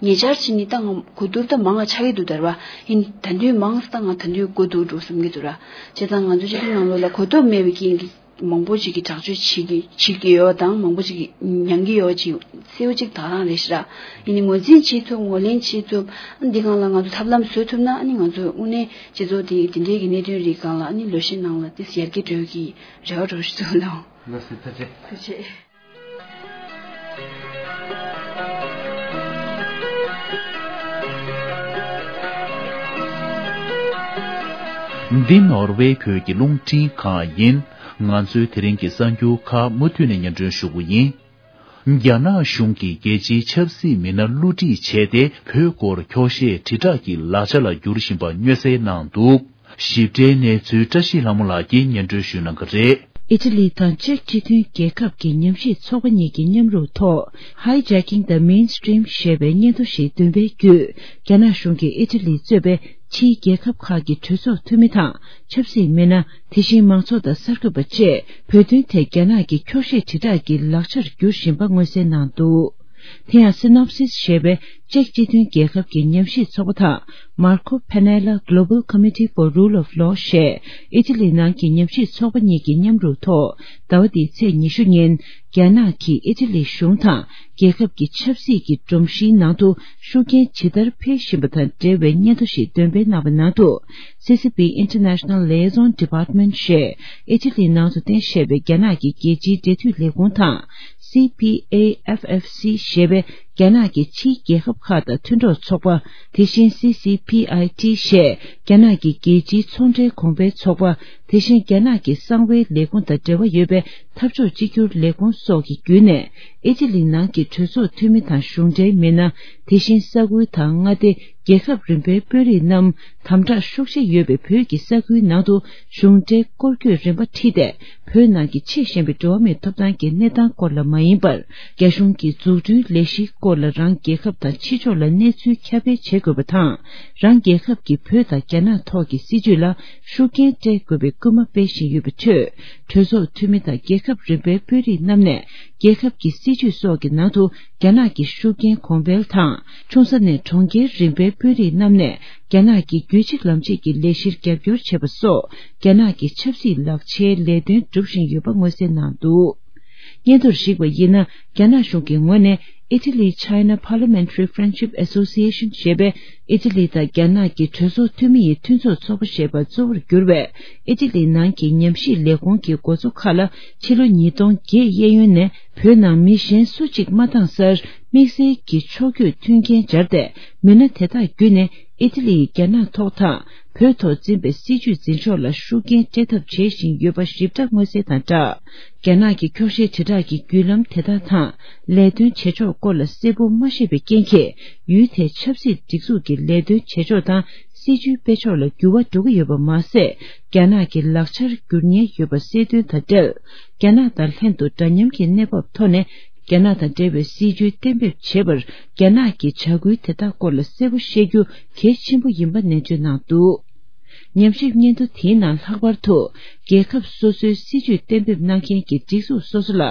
ཉེ་ཆར་ཕྱིན་ནས་ད་ང་གོ་བསྡུར་ད་མང་བ་ཆགས་ཀྱི་འདུག་ད་ར་བ། ཡིན་ད་དུང་མང་ཙམ་ད་ང་ད་དུང་དགོས་འདུག་འགྲོ་བསམ་གྱི་འདུག་ར། བྱས་ཙང་ང་ཚོ་སྤྱི་ཚོགས་ནང་ལོགས་ལ་གོ་རྟོགས་མེད་པའི་རྐྱེན་གྱིས་མང་པོ་ཅིག་གིས་དྲག་སྤྱོད་བྱེད་ཀྱི་བྱེད་ཀྱི་ཡོད་དང་མང་པོ་ཅིག་གིས་མྱང་གི་ཡོད་ཅིག་གསལ་པོ་ཅིག་དག་རང་རེད་ཤག་ར། ཡིན་ནའི་ངོས་འཛིན་བྱེད་ཐུབ་ངོས་ལེན་བྱེད་ཐུབ། ཨ་ནི་འདི་སྒང་ལ་ང་ཚོ་ཐབས་ལམ་བཟོ་ཐུབ་ན་ཨ་ནི་ང་ཚོ་དངོས་གནས་སྤྱི་ཚོགས་འདི་འདི་འདྲའི་གི་གནད་དོན་རིགས་སྒང་ལ་ཨ་ནི་ལོ་ཤས་ནང་ལ་ཏོག་ཙམ་ཡར་རྒྱས་འགྲོ་གི་རེ་བ་འདྲ་བོ་ཞིག་འདུག་ལགས། ལགས་སོ། ཐུགས་རྗེ་ཆེ། ཐུགས་རྗེ་ཆེ། འདི་ནོར་ཝེ་བོད་ཀྱི་རླུང་འཕྲིན་ཁང་ཡིན། ང་ཚོའི་དེ་རིང་གི་གསར་འགྱུར་ཁག་མུ་མཐུད་ནས་སྙན་སྒྲོན་ཞུ་གི་ཡིན། རྒྱ་ནག་གཞུང་གིས་རྒྱལ་སྤྱིའི་ཆབ་སྲིད་མི་སྣ་བསླུ་བྲིད་བྱས་ཏེ་བོད་སྐོར་འཁྱོག་བཤད་དྲིལ་བསྒྲགས་ཀྱི་ལག་ཆ་ལ་བསྒྱུར་བཞིན་པ་མངོན་གསལ་གནང་འདུག། ཞིབ་ཕྲའི་གནས་ཚུལ་བཀྲ་ཤིས་ལྷ་མོ་ལགས་ཀྱིས་སྙན་སྒྲོན་ཞུ་གནང་གི་རེད། ཨི་ཊ་ལི་དང་ཅེཀ་སྤྱི་མཐུན་རྒྱལ་ཁབ་ཀྱི་ཉམས་ཞིབ་ཚོགས་པ་གཉིས་ཀྱི་མཉམ་རུབ་ཐོག Hijacking the Mainstream ཞེས་པའི་སྙན་ཐོ་ཞིག་འདོན་པའི་བརྒྱུད། རྒྱ་ནག་གཞུང་གིས་ཨི་ཊ་ལི་གཙོས་པའི་ཕྱིའི་རྒྱལ་ཁབ་ཁག་གི་གྲོས་ཚོགས་འཐུས་མི་དང་ཆབ་སྲིད་མི་སྣ། དེ་བཞིན་མང་ཚོགས་དང་གསར་འགོད་པ་བཅས་བོད་དོན་ཐད་རྒྱ་ནག་གི་འཁྱོག་བཤད་དྲིལ་བསྒྲགས་ཀྱི་ལག་ཆར་འགྱུར་བཞིན་པ་མངོན་གསལ་གནང་འདུག། དེ་ཡང་སི་ནོབ་སིས་ཞེས་པའི་ཅེཀ་སྤྱི་མཐུན་རྒྱལ་ཁབ་ཀྱི་ཉམས་ཞིབ་ཚོགས་པ་དང་མར་ཁོ་ཕེ་ནེ་ལ་Global Committee for Rule of Law ཞེས་ཨི་ཊ་ལི་ནང་གི་ཉམས་ཞིབ་ཚོགས་པ་གཉིས་ཀྱི་མཉམ་རུབ་ཐོག་ཟླ་བ་འདིའི་ཚེས་ཉི་ཤུ་ཉིན་རྒྱ་ནག་གིས་ཨི་ཊ་ལི་གཞུང་དང་རྒྱལ་ཁབ་ཀྱི་ཆབ་སྲིད་ཀྱི་སྒྲོམ་གཞིའི་ནང་དུ་ཤུགས་རྐྱེན་ཇི་ལྟར་འཕེལ་བཞིན་པ་དང་འབྲེལ་བའི་སྙན་ཐོ་ཞིག་འདོན་སྤེལ་གནང་བའི་ནང་དུ། སི་སི་པི་International Liaison Department ཞེས་ཨི་ཊ་ལིའི་ནང་དུ་རྟེན་བཞེས་པའི་རྒྱ་ནག་གི་རྒྱལ་སྤྱིའི་འབྲེལ་མཐུད་ལས་ཁུངས་དང་། སི་པི་ཨེ་ཨེཕ་ཨེཕ་སི་ཞེས་པའི་རྒྱ་ནག་གི་ཕྱིའི་རྒྱལ་ཁབ་ཁག་དང་མཐུན་གྲོགས་ཚོགས་པ། དེ་བཞིན་སི་སི་པི་ཨའི་ཊི་ཞེས་རྒྱ་ནག་གི་རྒྱལ་སྤྱིའི་ཚོང་འབྲེལ་གོང་འཕེལ་ཚོགས་པ། དེ་བཞིན་རྒྱ་ནག་གི་གསང་བའི་ལས་ཁུངས་དང་འབྲེལ་བ་ཡོད་པའི་འཐབ་ཕྱོགས་གཅིག་གྱུར་ལས་ཁུངས་སོགས་ཀྱི་བརྒྱུད་ནས། ཨི་ཊ་ལི་ནང་གི་གྲོས་ཚོགས་འཐུས་མི་དང་གཞུང་འབྲེལ་མི་སྣ། དེ་བཞིན་ས་ཁུལ་དང་མངའ་སྡེ། རྒྱལ་ཁབ་རིམ་པའི་དཔོན་རིགས་རྣམས་དམ་དྲག་ཤུགས་ཆེ་ཡོད་པའི་བོད་ཀྱི་ས་ཁུལ་ནང་དུ་གཞུང་འབྲེལ་སྐོར་སྐྱོད་རིམ་པ་ཁྲིད་དེ། བོད་ནང་གི་ཆེས་ཞན་པའི་འགྲོ་བ་མིའི་ཐོབ་ཐང་གི་གནས་སྟངས་སྐོར་ལ་མ་ཡིན་པར། རྒྱ་གཞུང་གི་འཛུགས་སྐྲུན་ལས་གཞིའི་སྐོར་ལ་རང་རྒྱལ་ཁབ་དང་ཕྱི་ཕྱོགས་ལ་གནས་ཚུལ་ཁྱབ་སྤེལ་བྱེད་དགོས་པ་དང་། རང་རྒྱལ་ཁབ་ཀྱི་བོད་དང་རྒྱ་ནག་ཐོག་གི་སྲིད་བྱུས་ལ་ཤུགས་རྐྱེན་སྤྲད་དགོས་པའི་སྐུལ་མ་སྤེལ་བཞིན་ཡོད་པའི་ཁྲོད། གྲོས་ཚོགས་འཐུས་མི་དང་རྒྱལ་ཁབ་རིམ་པའི་དཔོན་རིགས་རྣམས་ནས། རྒྱལ་ཁབ་ཀྱི་སྲིད་བྱུས་སོགས་ཀྱི་ནང་དུ་རྒྱ་ནག་གི་ཤུགས་རྐྱེན་གོང་འཕེལ་དང་། ཆུང་ས་ནས་གྲོང་ཁྱེར་རིམ་པའི་དཔོན་རིགས་རྣམས་ནས་རྒྱ་ནག་གི་རྒྱུད་གཅིག་ལམ་གཅིག་གི་ལས་གཞིར་རྒྱབ་སྐྱོར་བྱེད་པ་སོགས་རྒྱ་ནག་གི་ཆབ་སྲིད་ལག་ཆའི་ལས་དོན་སྒྲུབ་བཞིན་ཡོད་པ་མངོན་གསལ་གནང་འདུག། སྙན་ཐོར་གཞིགས་པ་ཡིན་ན། རྒྱ་ནག་གཞུང་གི་ངོས་ནས་Italy China Parliamentary Friendship Association ཞེས་པའི་ཨི་ཊ་ལི་དང་རྒྱ་ནག་གི་གྲོས་ཚོགས་འཐུས་མི་ཡི་མཐུན་ཚོགས་ཚོགས་པ་ཞེས་པ་གཙོ་བོར་གྱུར་བའི་ཨི་ཊ་ལི་ནང་གི་ཉམས་ཞིབ་ལས་ཁུངས་ཀྱི་འགོ་གཙོ་ཁག་ལ་ཕྱི་ལོ་ཉིས་སྟོང་བརྒྱད་གཡས་གཡོན་ནས་བོད་ནང་མི་གཞན་སུ་གཅིག་མ་བཏང་སར་དམིགས་བསལ་གྱི་ཕྱོགས་བསྐྱོད་མཐུན་རྐྱེན་སྦྱར་ཏེ། མི་སྣ་དེ་དག་བརྒྱུད་ནས་ཨི་ཊ་ལི་ཡིས་རྒྱ་ནག་ཐོག་དང་བོད་ཐོག་འཛིན་པའི་སྲིད་བྱུས་འཛིན་ཕྱོགས་ལ་ཤུགས་རྐྱེན་སྤྲད་ཐབས་བྱེད་བཞིན་ཡོད་པ་ཞིབ་ཕྲ་མངོན་གསལ་དང་སྦྲགས། རྒྱ་ནག་གི་འཁྱོག་བཤད་དྲིལ་བསྒྲགས་ཀྱི་བརྒྱུད་ལམ་དེ་དག་དང་ལས་དོན་བྱེད་ཕྱོགས་སྐོར་ལ་གསལ་པོ་མ་ཤེས་པའི་རྐྱེན་གྱིས། ཡུལ་དེའི་ཆབ་སྲིད་སྒྲིག་འཛུགས་ཀྱི་ལས་དོན་བྱེད་ཕྱོགས་དང་སྲིད་བྱུས་སྤེལ་ཕྱོགས་ལ་འགྱུར་བ་འགྲོ་གི་ཡོད་པ་མ་ཟད། རྒྱ་ནག་གི་ལག་ཆར་འགྱུར་ཉེན་ཡོད་པ་གསལ་སྟོན་དང་འབྲེལ། རྒྱ་ནག་དང་ལྷན་དུ་འདྲ་མཉམ་གྱི་གནས་བབ་ཐོག་ནས། རྒྱ་ནག་དང་འབྲེལ་བའི་སྲིད་བྱུས་གཏན་འབེབས་བྱེད་པར། རྒྱ་ནག་གི་བྱ་འགུལ་དེ་དག་སྐོར་ལ་གསལ་པོ་ཤེས་རྒྱུ་གལ་ཆེན་པོ་ཡིན་པ་ནན་བརྗོད་གནང་འདུག། ཉམས་ཞིབ་སྙན་ཐོ་དེའི་ནང་ལྷག་པར་དུ། རྒྱལ་ཁབ་སོ་སོའི་སྲིད་བྱུས་གཏན་འབེབས་གནང་མཁན་གྱི་སྒྲིག་འཛུགས་སོ་སོ་ལ།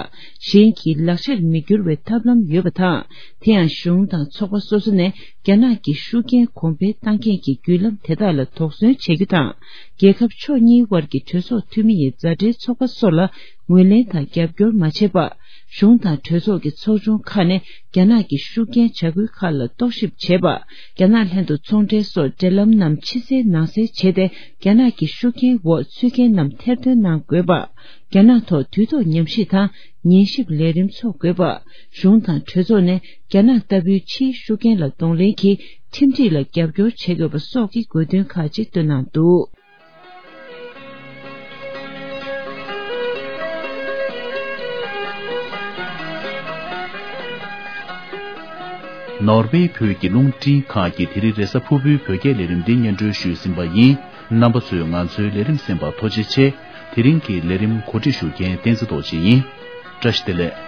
གཞན་གྱི་ལག་ཆར་མི་འགྱུར་བའི་ཐབས་ལམ་ཡོད་པ་དང་། དེ་ཡང་གཞུང་དང་ཚོགས་པ་སོ་སོ་ནས་རྒྱ་ནག་གི་ཤུགས་རྐྱེན་གོང་འཕེལ་བཏང་མཁན་གྱི་བརྒྱུད་ལམ་དེ་དག་ལ་དོགས་ཟོན་བྱེད་རྒྱུ་དང་། རྒྱལ་ཁབ་ཕྱོགས་གཉིས་དབར་གྱི་གྲོས་ཚོགས་འཐུས་མི་ཡི་མཛའ་འབྲེལ་ཚོགས་པ་སོགས་ལ་ངོས་ལེན་དང་རྒྱབ་སྐྱོར་མ་བྱེད་པ། གཞུང་དང་གྲོས་ཚོགས་ཀྱི་ཚོགས་ཆུང་ཁག་ནས་རྒྱ་ནག་གི་ཤུགས་རྐྱེན་བྱ་འགུལ་ཁག་ལ་རྟོག་ཞིབ་བྱེད་པ། རྒྱ་ནག་ལྷན་དུ་ཚོང་འབྲེལ་སོགས་འབྲེལ་ལམ་རྣམས་ཕྱི་གསལ་ནང་གསལ་བྱས་ཏེ། རྒྱ་ནག་གི་ཤུགས་རྐྱེན་འོག་ཚུད་མཁན་རྣམས་ཐེར་འདོན་གནང་དགོས་པ། རྒྱ་ནག་ཐོག་དུས་ཐོག་ཉམས་ཞིབ་དང་ཉན་ཞིབ་ལས་རིམ་འཚོགས་དགོས་པ། གཞུང་དང་གྲོས་ཚོགས་ནས་རྒྱ་ནག་ལྟ་བུའི་ཕྱིའི་ཤུགས་རྐྱེན་ལ་གདོང་ལེན་གྱིས་ཁྲིམས་སྒྲིག་ལ་རྒྱབ་སྐྱོར་བྱེད་དགོས་པ་སོགས་ཀྱི་དགོས་འདུན་ཁག་ཅིག་བཏོན་གནང་འདུག། ནོར་ཝེ་བོད་ཀྱི་རླུང་འཕྲིན་ཁང་གི་དེ་རིང་རེས་གཟའ་ཕུར་བུའི་བོད་སྐད་ལས་རིམ་འདི་སྙན་སྒྲོན་ཞུས་ཟིན་པ་ཡིན། རྣམ་པ་ཚོས་ང་ཚོའི་ལས་རིམ་གསན་པར་ཐུགས་རྗེ་ཆེ། དེ་རིང་གི་ལས་རིམ་གོ་སྒྲིག་ཞུ་མཁན་བསྟན་འཛིན་རྡོ་རྗེ་ཡིན། བཀྲ་ཤིས་བདེ་ལེགས།